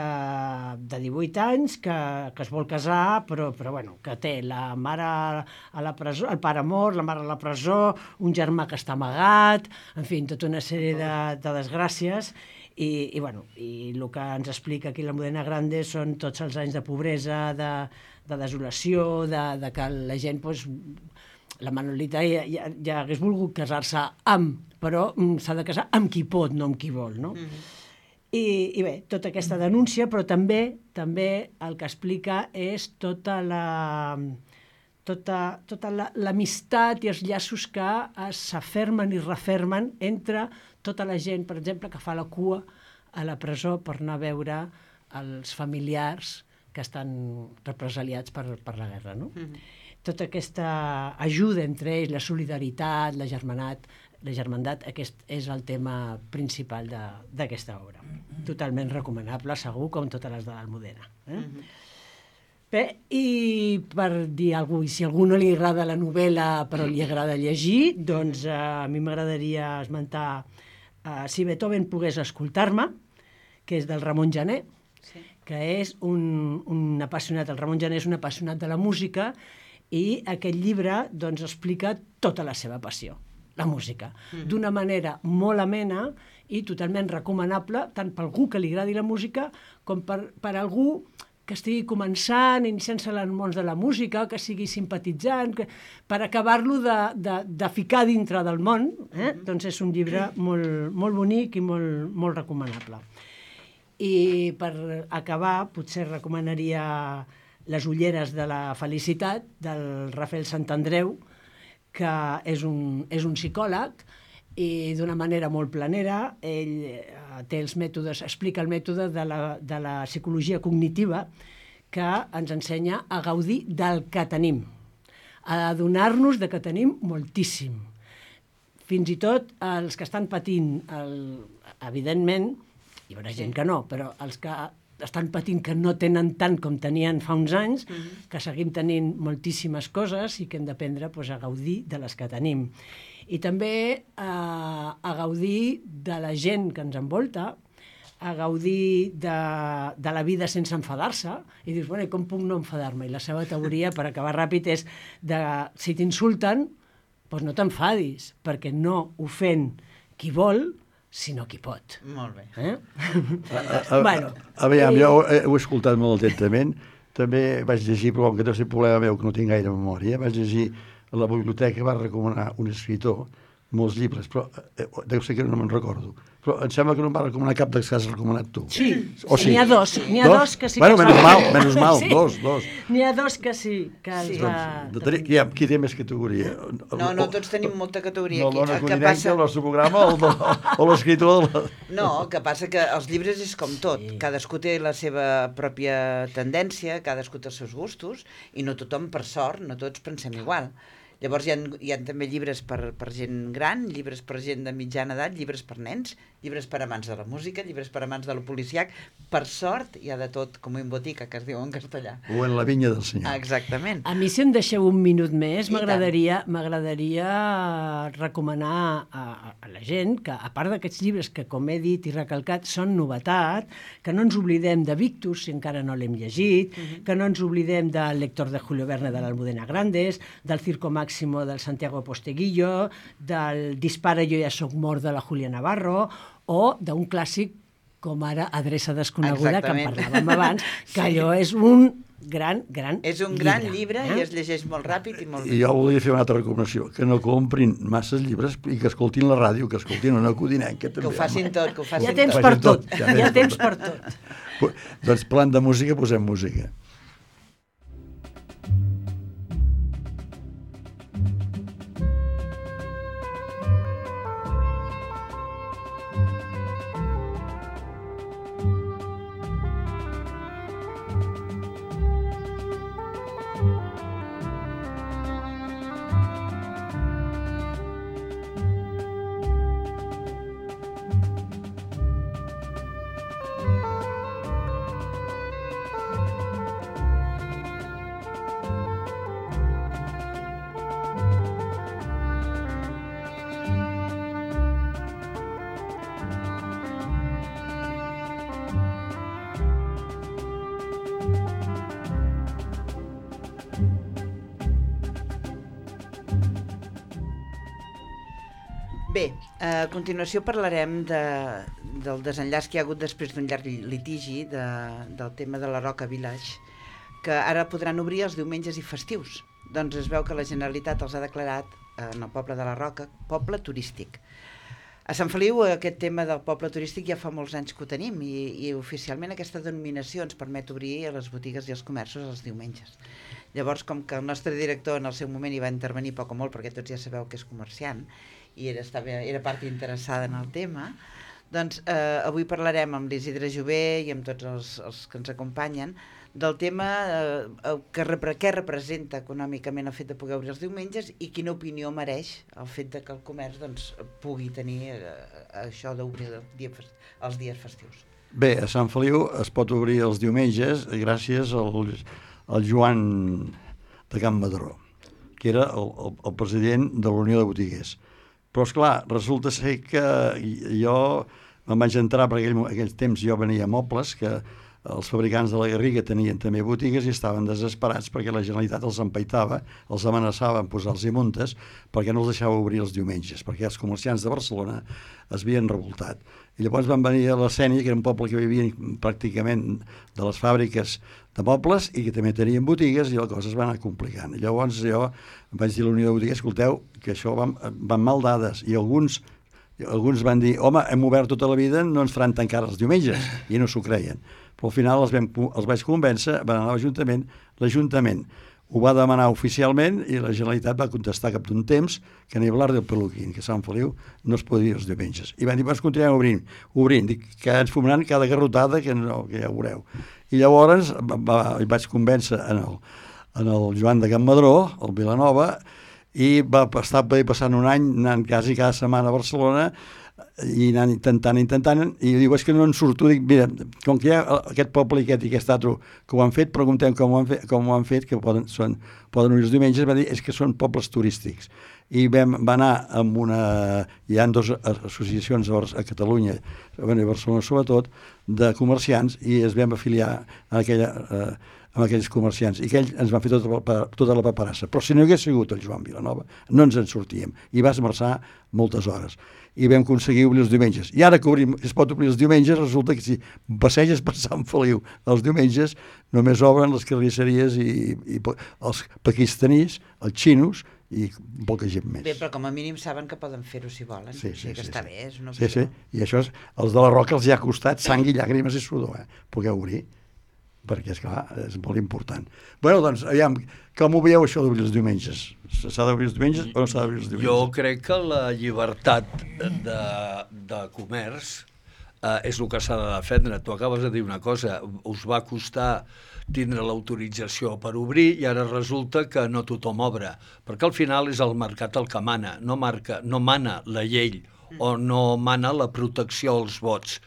18 anys que es vol casar, però bueno, que té la mare a la presó, el pare mort, la mare a la presó, un germà que està amagat, en fi, tota una sèrie de desgràcies, i el que ens explica aquí l'Almudena Grande són tots els anys de pobresa, de desolació, de que la gent... La Manolita ja hagués volgut casar-se amb, però s'ha de casar amb qui pot, no amb qui vol, no? I bé, tota aquesta denúncia, però també el que explica és tota l'amistat i els llaços que s'afermen i refermen entre tota la gent, per exemple, que fa la cua a la presó per anar a veure els familiars que estan represaliats per la guerra, no? Tota aquesta ajuda entre ells, la solidaritat, la germandat, aquest és el tema principal d'aquesta obra. Totalment recomanable, segur, com totes les de l'Almudena. Bé, i per dir alguna cosa, i si a algú no li agrada la novel·la però li agrada llegir, doncs a mi m'agradaria esmentar Si Beethoven pogués escoltar-me, que és del Ramon Gené, que és un apassionat, el Ramon Gené és un apassionat de la música, i aquest llibre doncs, explica tota la seva passió, la música, d'una manera molt amena i totalment recomanable, tant per algú que li agradi la música com per algú que estigui començant, iniciant-se en el món de la música, que sigui simpatitzant, per acabar-lo de ficar dintre del món, doncs és un llibre molt bonic i molt recomanable. I per acabar, potser recomanaria Les ulleres de la felicitat, del Rafael Santandreu, que és un psicòleg, i d'una manera molt planera, ell té els mètodes, explica el mètode de la psicologia cognitiva, que ens ensenya a gaudir del que tenim, a adonar-nos de que tenim moltíssim. Fins i tot els que estan patint, evidentment, hi haurà gent que no, però els que estan patint que no tenen tant com tenien fa uns anys, que seguim tenint moltíssimes coses i que hem d'aprendre a gaudir de les que tenim. I també a gaudir de la gent que ens envolta, a gaudir de la vida sense enfadar-se, i dius, bueno, com puc no enfadar-me? I la seva teoria, per acabar ràpid, és si t'insulten, doncs no t'enfadis, perquè no ofèn qui vol, sinó qui pot.
Molt bé.
Aviam, jo ho he escoltat molt atentament. També vaig llegir, però com que deu ser problema meu, que no tinc gaire memòria, vaig llegir a la biblioteca, va recomanar un escritor molts llibres, però deu ser que no me'n recordo. Però em sembla que no em va recomanar cap dels que has recomanat tu.
Sí, n'hi ha dos que sí que...
Bueno, menys mal, dos.
N'hi ha dos que sí, que els va...
Qui té més categoria?
No, tots tenim molta categoria aquí.
No, el Codinenca, el nostre programa, o l'escriptor de la...
No, el que passa que els llibres és com tot. Cadascú té la seva pròpia tendència, cadascú té els seus gustos, i no tothom, per sort, no tots pensem igual. Llavors hi ha també llibres per gent gran, llibres per gent de mitjana edat, llibres per nens, llibres per amants de la música, llibres per amants de lo policiac. Per sort, hi ha de tot, com en botica, que es diu en castellà.
O en la vinya del Senyor.
Exactament.
A mi, si em deixeu un minut més, m'agradaria recomanar a la gent que, a part d'aquests llibres que, com he dit i recalcat, són novetat, que no ens oblidem de Victus, si encara no l'hem llegit, que no ens oblidem del lector de Julio Verne de l'Almudena Grandes, del Circo Máximo del Santiago Posteguillo, del Dispara, jo ja soc mort de la Julia Navarro, o d'un clàssic com ara Adreça desconeguda, que en parlàvem abans, que allò és un gran
És un gran llibre i es llegeix molt ràpid i molt bé.
I jo volia fer una altra recomanació, que no comprin masses llibres i que escoltin la ràdio, que escoltin una codinenca també.
Que ho facin tot, que ho facin
Hi ha temps
tot.
per tot, hi ha temps per tot.
Doncs parlant de música, posem música.
Bé, a continuació parlarem del desenllaç que hi ha hagut després d'un llarg litigi del tema de la Roca Village, que ara podran obrir els diumenges i festius. Doncs es veu que la Generalitat els ha declarat en el poble de la Roca poble turístic. A Sant Feliu aquest tema del poble turístic ja fa molts anys que ho tenim i oficialment aquesta denominació ens permet obrir a les botigues i els comerços els diumenges. Llavors, com que el nostre director en el seu moment hi va intervenir poc o molt, perquè tots ja sabeu que és comerciant, i era part interessada en el tema, doncs avui parlarem amb l'Isidre Jové i amb tots els que ens acompanyen del tema què representa econòmicament el fet de poder obrir els diumenges i quina opinió mereix el fet de que el comerç doncs, pugui tenir això d'obrir els dies festius.
Bé, a Sant Feliu es pot obrir els diumenges gràcies al Joan de Can Madró, que era el president de la Unió de Botiguers. Però, esclar, resulta ser que jo me'n vaig entrar, perquè aquells temps jo venia mobles, que els fabricants de la Garriga tenien també botigues i estaven desesperats perquè la Generalitat els empaitava, els amenaçava en posar-los multes perquè no els deixava obrir els diumenges, perquè els comerciants de Barcelona es havien revoltat. I llavors van venir a la Sénia, que era un poble que vivien pràcticament de les fàbriques de mobles i que també tenien botigues, i la cosa es va anar complicant. I llavors jo vaig dir a la Unió de Botiguers, escolteu, que això van mal dades, i alguns van dir, home, hem obert tota la vida, no ens faran tancar els diumenges, i no s'ho creien. Però al final els vaig convèncer, van anar a l'Ajuntament ho va demanar oficialment i la Generalitat va contestar cap d'un temps que ni hablar del Peluquín, que a Sant Feliu no es podia dir els diumenges. I van dir, doncs continuem obrint, dic, que ens fumaran cada garrotada, que ja ho veureu. I llavors vaig convèncer en el Joan de Can Madró, el Vilanova, i va estar passant un any anant quasi cada setmana a Barcelona i anant intentant, i diu, és que no en surto, dic, mira, com que hi ha aquest poble i aquest altre que ho han fet, preguntem com ho han fet, que poden obrir els diumenges, va dir, és que són pobles turístics. I vam anar amb hi ha dues associacions a Catalunya, a Barcelona sobretot, de comerciants, i es vam afiliar amb aquells comerciants, i aquells ens van fer tota la paperassa. Però si no hagués sigut el Joan Vilanova, no ens en sortíem, i va esmerçar moltes hores. I vam aconseguir obrir els diumenges. I ara que es pot obrir els diumenges, resulta que si passeges per Sant Feliu els diumenges, només obren les carnisseries i els pakistanís, els xinos, i poca gent més.
Bé, però com a mínim saben que poden fer-ho si volen.
Sí,
està bé, és una
opció. Sí, i això els de la Roca els hi ha costat sang i llàgrimes i sudor, poder obrir, perquè, esclar, és molt important. Bé, doncs, aviam, com ho veieu això d'obrir els diumenges? S'ha d'obrir els diumenges o no s'ha d'obrir els diumenges?
Jo crec que la llibertat de comerç és el que s'ha de defendre. Tu acabes de dir una cosa, us va costar tindre l'autorització per obrir i ara resulta que no tothom obre, perquè al final és el mercat el que mana, no mana la llei o no mana la protecció als vots,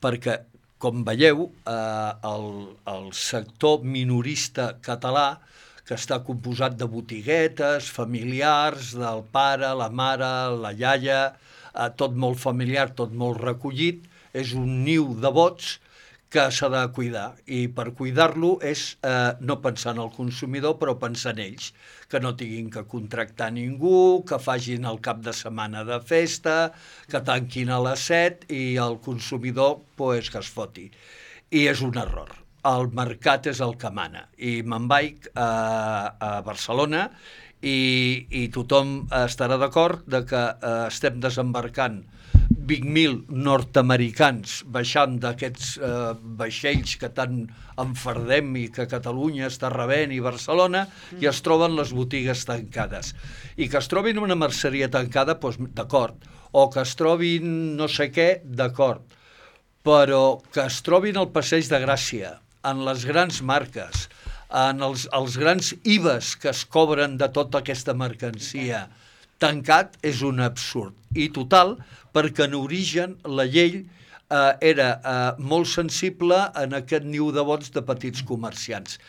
perquè com veieu, el sector minorista català, que està composat de botiguetes, familiars, del pare, la mare, la iaia, tot molt familiar, tot molt recollit, és un niu de vots que s'ha de cuidar. I per cuidar-lo és no pensar en el consumidor, però pensar en ells, que no tinguin que contractar ningú, que facin el cap de setmana de festa, que tanquin a les 7 i el consumidor pues, que es foti. I és un error. el mercat és el que mana. I me'n vaig a Barcelona i tothom estarà d'acord de que estem desembarcant 20.000 nord-americans baixant d'aquests vaixells que tant enfardem i que Catalunya està rebent i Barcelona, i es troben les botigues tancades. I que es trobin una merceria tancada, doncs d'acord, o que es trobin no sé què, d'acord, però que es trobin al Passeig de Gràcia, en les grans marques, en els grans IVAs que es cobren de tota aquesta mercancia, tancat és un absurd. I total, perquè en origen la llei era molt sensible en aquest niu de vots de petits comerciants,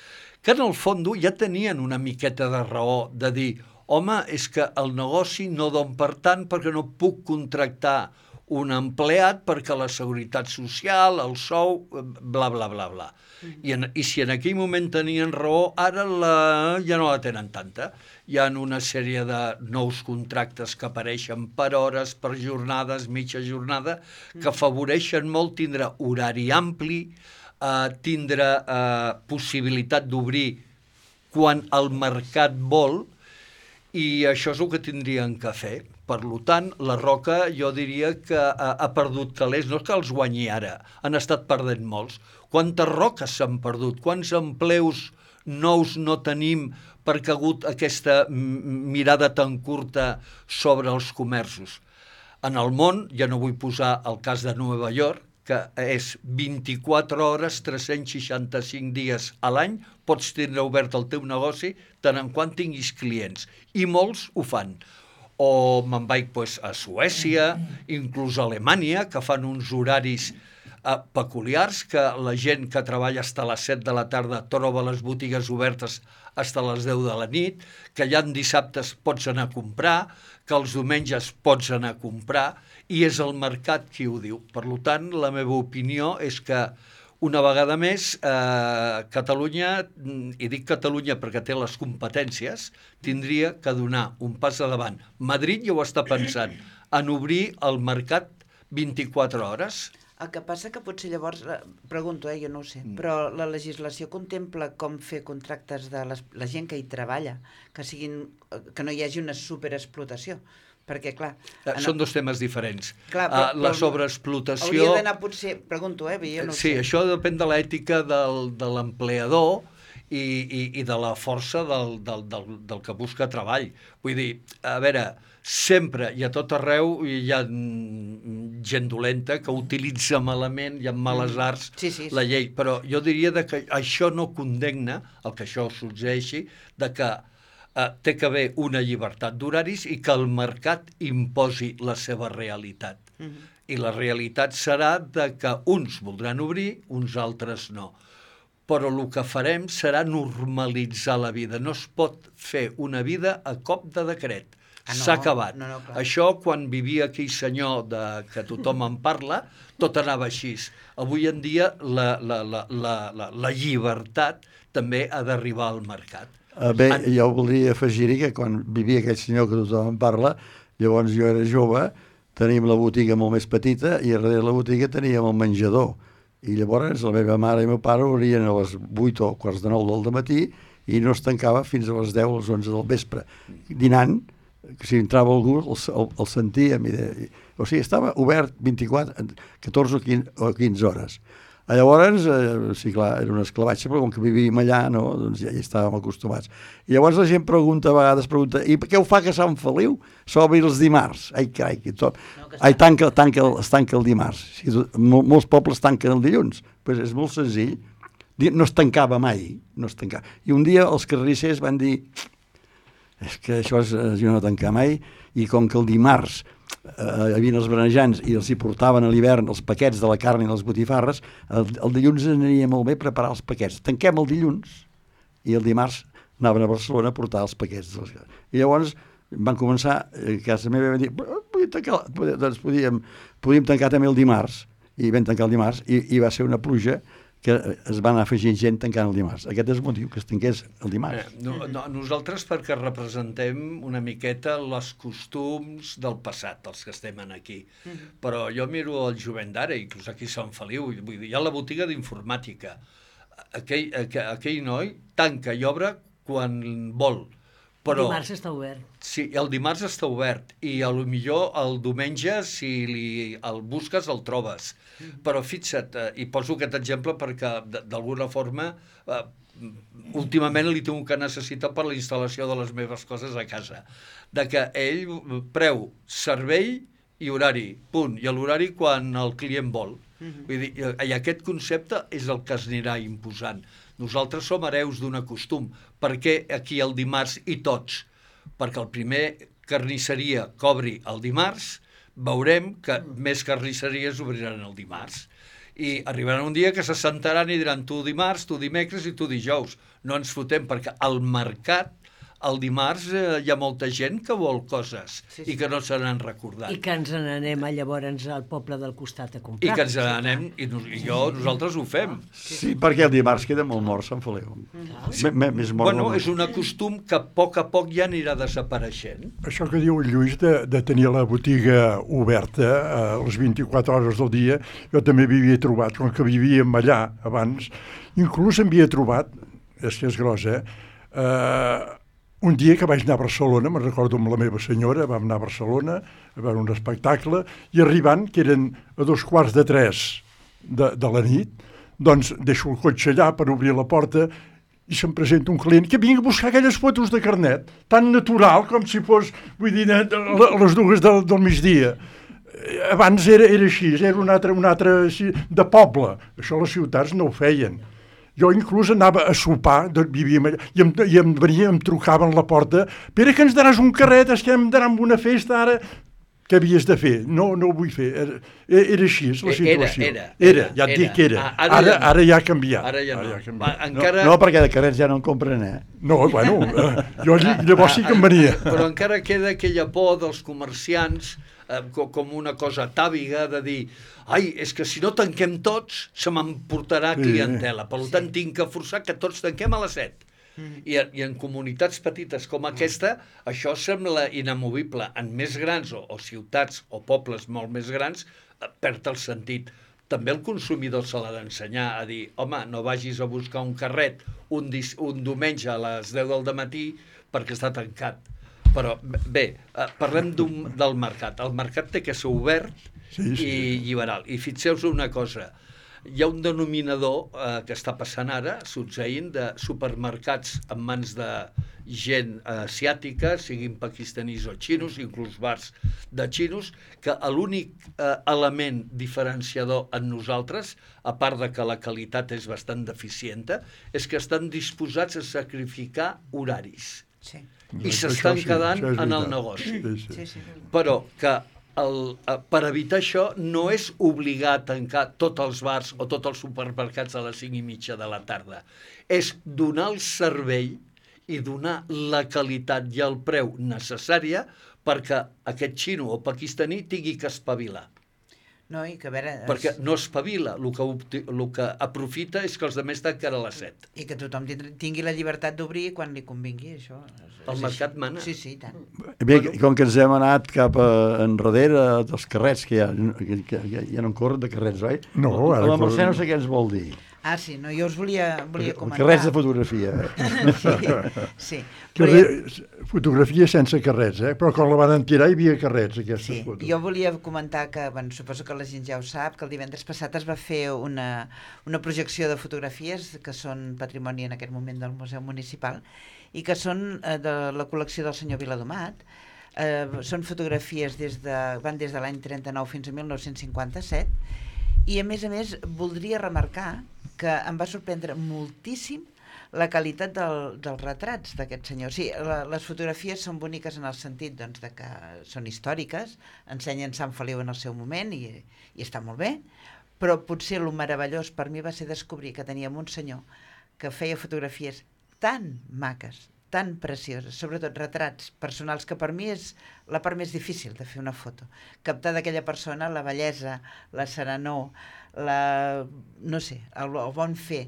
que en el fons ja tenien una miqueta de raó de dir, home, és que el negoci no don per tant perquè no puc contractar un empleat perquè la seguretat social, el sou, bla, bla, bla, bla. I si en aquell moment tenien raó, ara ja no la tenen tanta. Hi ha una sèrie de nous contractes que apareixen per hores, per jornades, mitja jornada, que afavoreixen molt tindre horari ampli, tindre possibilitat d'obrir quan el mercat vol, i això és el que tindrien que fer. Per tant, la Roca jo diria que ha perdut calés, no és que els guanyi ara, han estat perdent molts. Quantes roques s'han perdut? Quants empleus nous no tenim perquè ha hagut aquesta mirada tan curta sobre els comerços? En el món, ja no vull posar el cas de Nova York, que és 24 hores, 365 dies a l'any, pots tindre obert el teu negoci tant en quant tinguis clients. I molts ho fan. O me'n vaig a Suècia, inclús a Alemanya, que fan uns horaris peculiars, que la gent que treballa fins a les 7 de la tarda troba les botigues obertes fins a les 10 de la nit, que ja en dissabtes pots anar a comprar, que els diumenges pots anar a comprar, i és el mercat qui ho diu. Per tant, la meva opinió és que una vegada més, Catalunya, i dic Catalunya perquè té les competències, tindria que donar un pas endavant. Madrid ja ho està pensant, en obrir el mercat 24 hores.
El que passa que potser llavors, pregunto, jo no ho sé, però la legislació contempla com fer contractes de la gent que hi treballa, que no hi hagi una superexplotació. Perquè, clar...
Són dos temes diferents.
Clar,
la sobreexplotació...
Hauria d'anar potser... Pregunto, jo no ho sé.
Sí, això depèn de l'ètica de l'empleador i de la força del que busca treball. Vull dir, a veure, sempre i a tot arreu hi ha gent dolenta que utilitza malament i amb males arts la llei, però jo diria que això no condemna el que això succeeixi, de que té que haver una llibertat d'horaris i que el mercat imposi la seva realitat. I la realitat serà de que uns voldran obrir, uns altres no. Però el que farem serà normalitzar la vida. No es pot fer una vida a cop de decret. S'ha acabat. Això, quan vivia aquell senyor que tothom en parla, tot anava així. Avui en dia la llibertat també ha d'arribar al mercat.
Bé, jo voldria afegir-hi que quan vivia aquell senyor que tothom en parla, llavors jo era jove, teníem la botiga molt més petita i darrere la botiga teníem el menjador. I llavors la meva mare i el meu pare obrien a les 8 o quarts de 9 del matí i no es tancava fins a les 10 o les 11 del vespre. Dinant, que si entrava algú el sentíem. O sigui, estava obert 14 o 15 hores. Llavors, sí, clar, era un esclavatge, però com que vivíem allà, no, doncs ja hi estàvem acostumats. I llavors la gent a vegades pregunta, i què ho fa que Sant Feliu s'obri els dimarts? Ai, carai, es tanca el dimarts. Molts pobles tanquen el dilluns. Pues és molt senzill. No es tancava mai, no es tancava. I un dia els carnissers van dir, és que això és no tancar mai, i com que el dimarts hi havia els berenjants i els hi portaven a l'hivern els paquets de la carn i les botifarres, el dilluns aniria molt bé preparar els paquets. Tanquem el dilluns i el dimarts anaven a Barcelona a portar els paquets. I llavors van començar, a casa meva van dir, doncs podíem tancar també el dimarts, i vam tancar el dimarts, i va ser una pluja que es van afegir gent tancant el dimarts. Aquest és el motiu, que es tanqués el dimarts.
Nosaltres perquè representem una miqueta els costums del passat, els que estem aquí. Però jo miro el jovent d'ara, inclús aquí a Sant Feliu, vull dir, hi ha la botiga d'informàtica. aquell noi tanca i obre quan vol. Però,
Dimarts està obert.
Sí, el dimarts està obert i millor el diumenge, si el busques, el trobes. Però fixa't, i poso aquest exemple perquè d'alguna forma últimament li tinc que necessitar per la instal·lació de les meves coses a casa. De que ell preu, servei i horari, punt. I l'horari quan el client vol. Vull dir, i aquest concepte és el que es anirà imposant. Nosaltres som hereus d'un costum. Per què aquí el dimarts i tots? Perquè el primer carnisseria cobri el dimarts, veurem que més carnisseries obriran el dimarts. I arribarà un dia que se sentaran i diran tu dimarts, tu dimecres i tu dijous. No ens fotem, perquè al mercat el dimarts hi ha molta gent que vol coses i que no se n'han recordat.
I que ens n'anem llavors al poble del costat a comprar.
I que ens n'anem, i nosaltres ho fem.
Sí, perquè el dimarts queda molt mort, Sant Feliu. Més mort.
Bueno, és un costum que a poc ja anirà desapareixent.
Això que diu el Lluís de tenir la botiga oberta a les 24 hores del dia, jo també m'havia trobat, com que vivíem allà abans, inclús m'havia trobat, és que és gros, un dia que vaig anar a Barcelona, me'n recordo amb la meva senyora, vam anar a Barcelona a veure un espectacle, i arribant, que eren a 2:45 de la nit, doncs deixo el cotxe allà per obrir la porta i se'm presenta un client que vinc a buscar aquelles fotos de carnet, tan natural com si fos, vull dir, a les 2 del migdia. Abans era així, era un altre de poble. Això les ciutats no ho feien. Jo inclús anava a sopar, vivíem allà, i em venia, em trucaven a la porta, Pere, que ens daràs un carret, és que em daran una festa ara. Què havies de fer? No ho vull fer. Era així, és la situació. Era, ja et dic que era. Ara ja ha canviat.
Ara ja no.
Encara... No, perquè de carrets ja no en compren,
No, bueno, jo llavors sí que em venia.
Però encara queda aquella por dels comerciants com una cosa tàbiga de dir ai, és que si no tanquem tots se m'emportarà clientela, per tant tinc que forçar que tots tanquem a les 7. I en comunitats petites com aquesta això sembla inamovible. En més grans o ciutats o pobles molt més grans perd el sentit. També el consumidor se l'ha d'ensenyar a dir home, no vagis a buscar un carret un diumenge a les 10 del matí perquè està tancat. Però bé, parlem del mercat. El mercat té que ser obert i liberal. I fixeu-vos una cosa, hi ha un denominador que està passant ara, succeint, de supermercats en mans de gent asiàtica, siguin pakistanis o xinos, inclús bars de xinos, que l'únic element diferenciador en nosaltres, a part de que la qualitat és bastant deficienta, és que estan disposats a sacrificar horaris. Sí. I s'estan quedant en el negoci. Però que per evitar això no és obligar a tancar tots els bars o tots els supermercats a les 5:30 de la tarda. És donar el servei i donar la qualitat i el preu necessària perquè aquest xino o pakistaní tingui que espavilar.
No, i que a veure...
Perquè no espavila, el que aprofita és que els altres tanquen a les 7.
I que tothom tingui la llibertat d'obrir quan li convingui, això.
El mercat mana.
Sí, i tant.
Bé, com que ens hem anat cap enrere dels carrets, que ja no en corren de carrets, oi?
No,
ara... La Mercè no sé què ens vol dir.
Ah, sí, no, jo us volia comentar...
Carrets de fotografia.
Sí.
Fotografia sense carrets, però quan la van tirar hi havia carrets, aquestes fotos.
Jo volia comentar que, suposo que la gent ja ho sap, que el divendres passat es va fer una projecció de fotografies que són patrimoni en aquest moment del Museu Municipal i que són de la col·lecció del senyor Viladomat. Són fotografies van des de l'any 39 fins a 1957 i a més voldria remarcar que em va sorprendre moltíssim la qualitat dels retrats d'aquest senyor. Sí, les fotografies són boniques en el sentit de que són històriques, ensenyen Sant Feliu en el seu moment i està molt bé, però potser el meravellós per mi va ser descobrir que teníem un senyor que feia fotografies tan maques, tan precioses, sobretot retrats personals, que per mi és la part més difícil de fer una foto. Captar d'aquella persona la bellesa, la serenor, no sé, el bon fer.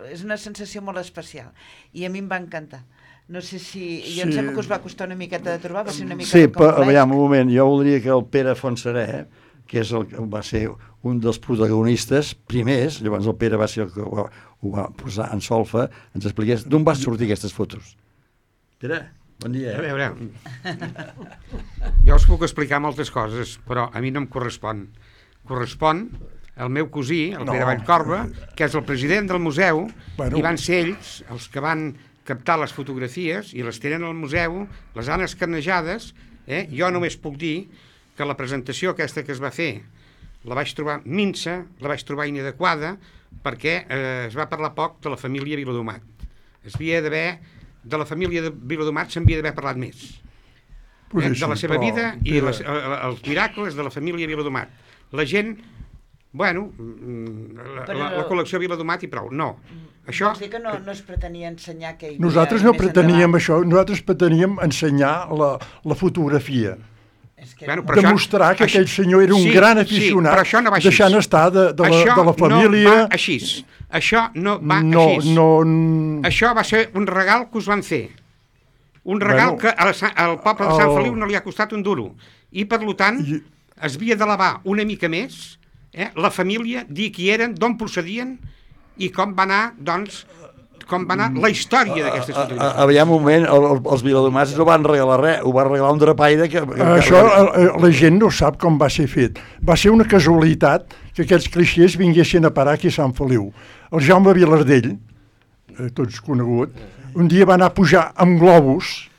És una sensació molt especial. I a mi em va encantar. No sé si... Jo em sembla que us va costar una miqueta de trobar, va ser una mica...
Sí, però, aviam, un moment, jo voldria que el Pere Fontserè que va ser un dels protagonistes primers, llavors el Pere va ser el que ho va posar en solfa, ens expliqués d'on van sortir aquestes fotos. Pere, bon dia.
A veure, jo us puc explicar moltes coses, però a mi no em correspon. Correspon al meu cosí, el Pere Vallcorba, que és el president del museu, i van ser ells els que van captar les fotografies i les tenen al museu, les han escanejades. Jo només puc dir que la presentació aquesta que es va fer la vaig trobar minsa, la vaig trobar inadequada, perquè es va parlar poc de la família Viladomat. De la família de Viladomat s'havia d'haver parlat més. De la seva vida i els miracles de la família Viladomat. La gent, bueno, la col·lecció Viladomat i prou. No. Això...
Vols dir que no es pretenia ensenyar que hi havia...
Nosaltres no preteníem això, nosaltres preteníem ensenyar la fotografia. Demostrar que aquell senyor era un gran aficionat, deixant estar de la família...
Això no va així. Això va ser un regal que us van fer. Un regal que al poble de Sant Feliu no li ha costat un duro. I, per tant, es havia d'elevar una mica més la família, dir qui eren, d'on procedien i com va anar, doncs, la història d'aquestes fotografies.
Aviam un moment, els viladomats no van regalar res, ho va regalar un drapaire que...
Això la gent no sap com va ser fet. Va ser una casualitat que aquests clixés vinguessin a parar aquí a Sant Feliu. El Jaume Vilardell, tots conegut, un dia va anar a pujar amb globus,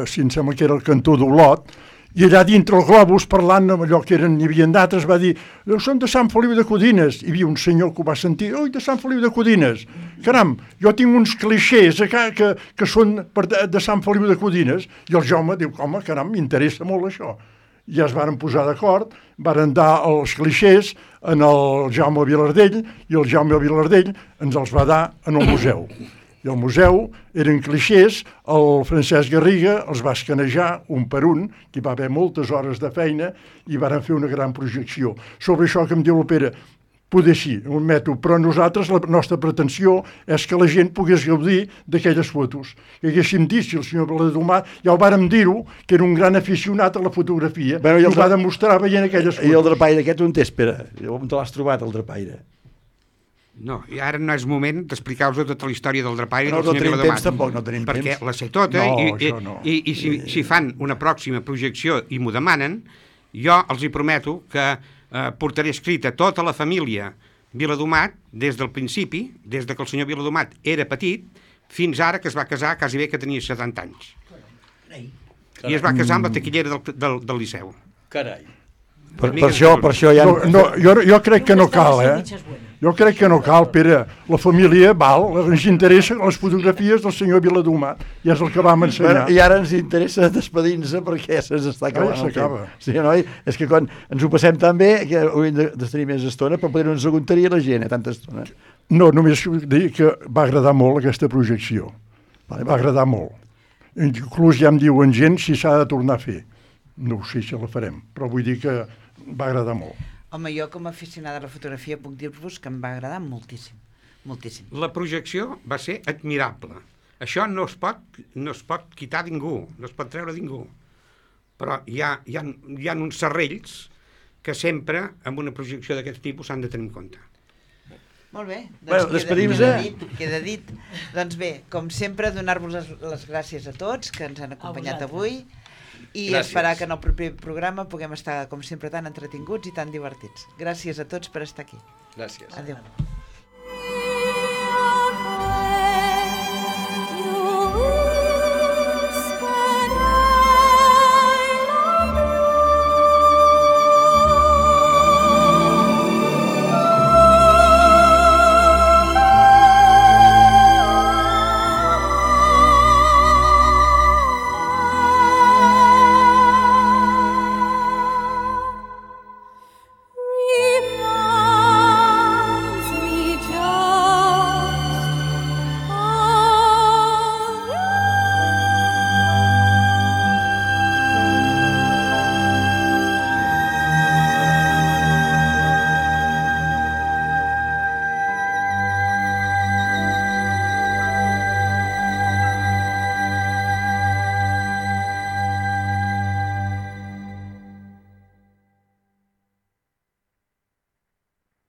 si em sembla que era el cantó d'Olot, i allà dintre el globus, parlant amb allò que n'hi havia d'altres, va dir: són de Sant Feliu de Codines. Hi havia un senyor que ho va sentir: oi, de Sant Feliu de Codines. Caram, jo tinc uns clixés que són de Sant Feliu de Codines. I el Jaume diu: home, caram, m'interessa molt això. Ja es varen posar d'acord, varen dar els clixés en el Jaume Vilardell, i el Jaume Vilardell ens els va dar en el museu. I al museu eren clixés, el Francesc Garriga els va escanejar un per un, que hi va haver moltes hores de feina, i varen fer una gran projecció. Sobre això que em diu el Pere, poder sí, ho admeto, però nosaltres, la nostra pretensió és que la gent pogués gaudir d'aquelles fotos. Que haguéssim dit, si el senyor Viladomat, ja ho vàrem dir-ho, que era un gran aficionat a la fotografia, i ho va demostrar veient aquelles fotos.
I el drapaire aquest on t'és, Pere? On te l'has trobat, el drapaire?
No, i ara no és moment d'explicar-vos tota la història del drapaire
del senyor Viladomat. No tenim temps tampoc, no tenim temps.
Perquè la sé tota, i si fan una pròxima projecció i m'ho demanen, jo els hi prometo que portaré escrita tota la família Viladomat des del principi, des que el senyor Viladomat era petit, fins ara que es va casar, quasi bé que tenia 70 anys. I es va casar amb la taquillera del Liceu.
Carai.
Per això ja...
Jo crec que no cal, Jo crec que no cal, Pere. La família val, ens interessa les fotografies del senyor Viladomat, i és el que vam ensenyar.
I ara ens interessa despedir-nos perquè se'ns està acabant el temps. Sí, noi? És que quan ens ho passem tan bé que hauríem de tenir més estona, però potser no ens aguantaria la gent, tanta estona.
No, només dir que va agradar molt aquesta projecció. Va agradar molt. Inclús ja em diuen gent si s'ha de tornar a fer. No ho sé si la farem, però vull dir que va agradar molt.
Home, jo com a aficionada a la fotografia puc dir-vos que em va agradar moltíssim, moltíssim.
La projecció va ser admirable. Això no es pot quitar ningú, no es pot treure ningú. Però hi ha uns serrells que sempre, amb una projecció d'aquest tipus, s'han de tenir en compte.
Molt bé,
doncs
queda dit. Doncs bé, com sempre, donar-vos les gràcies a tots que ens han acompanyat avui, i esperar que en el proper programa puguem estar, com sempre, tan entretinguts i tan divertits. Gràcies a tots per estar aquí.
Gràcies.
Adéu.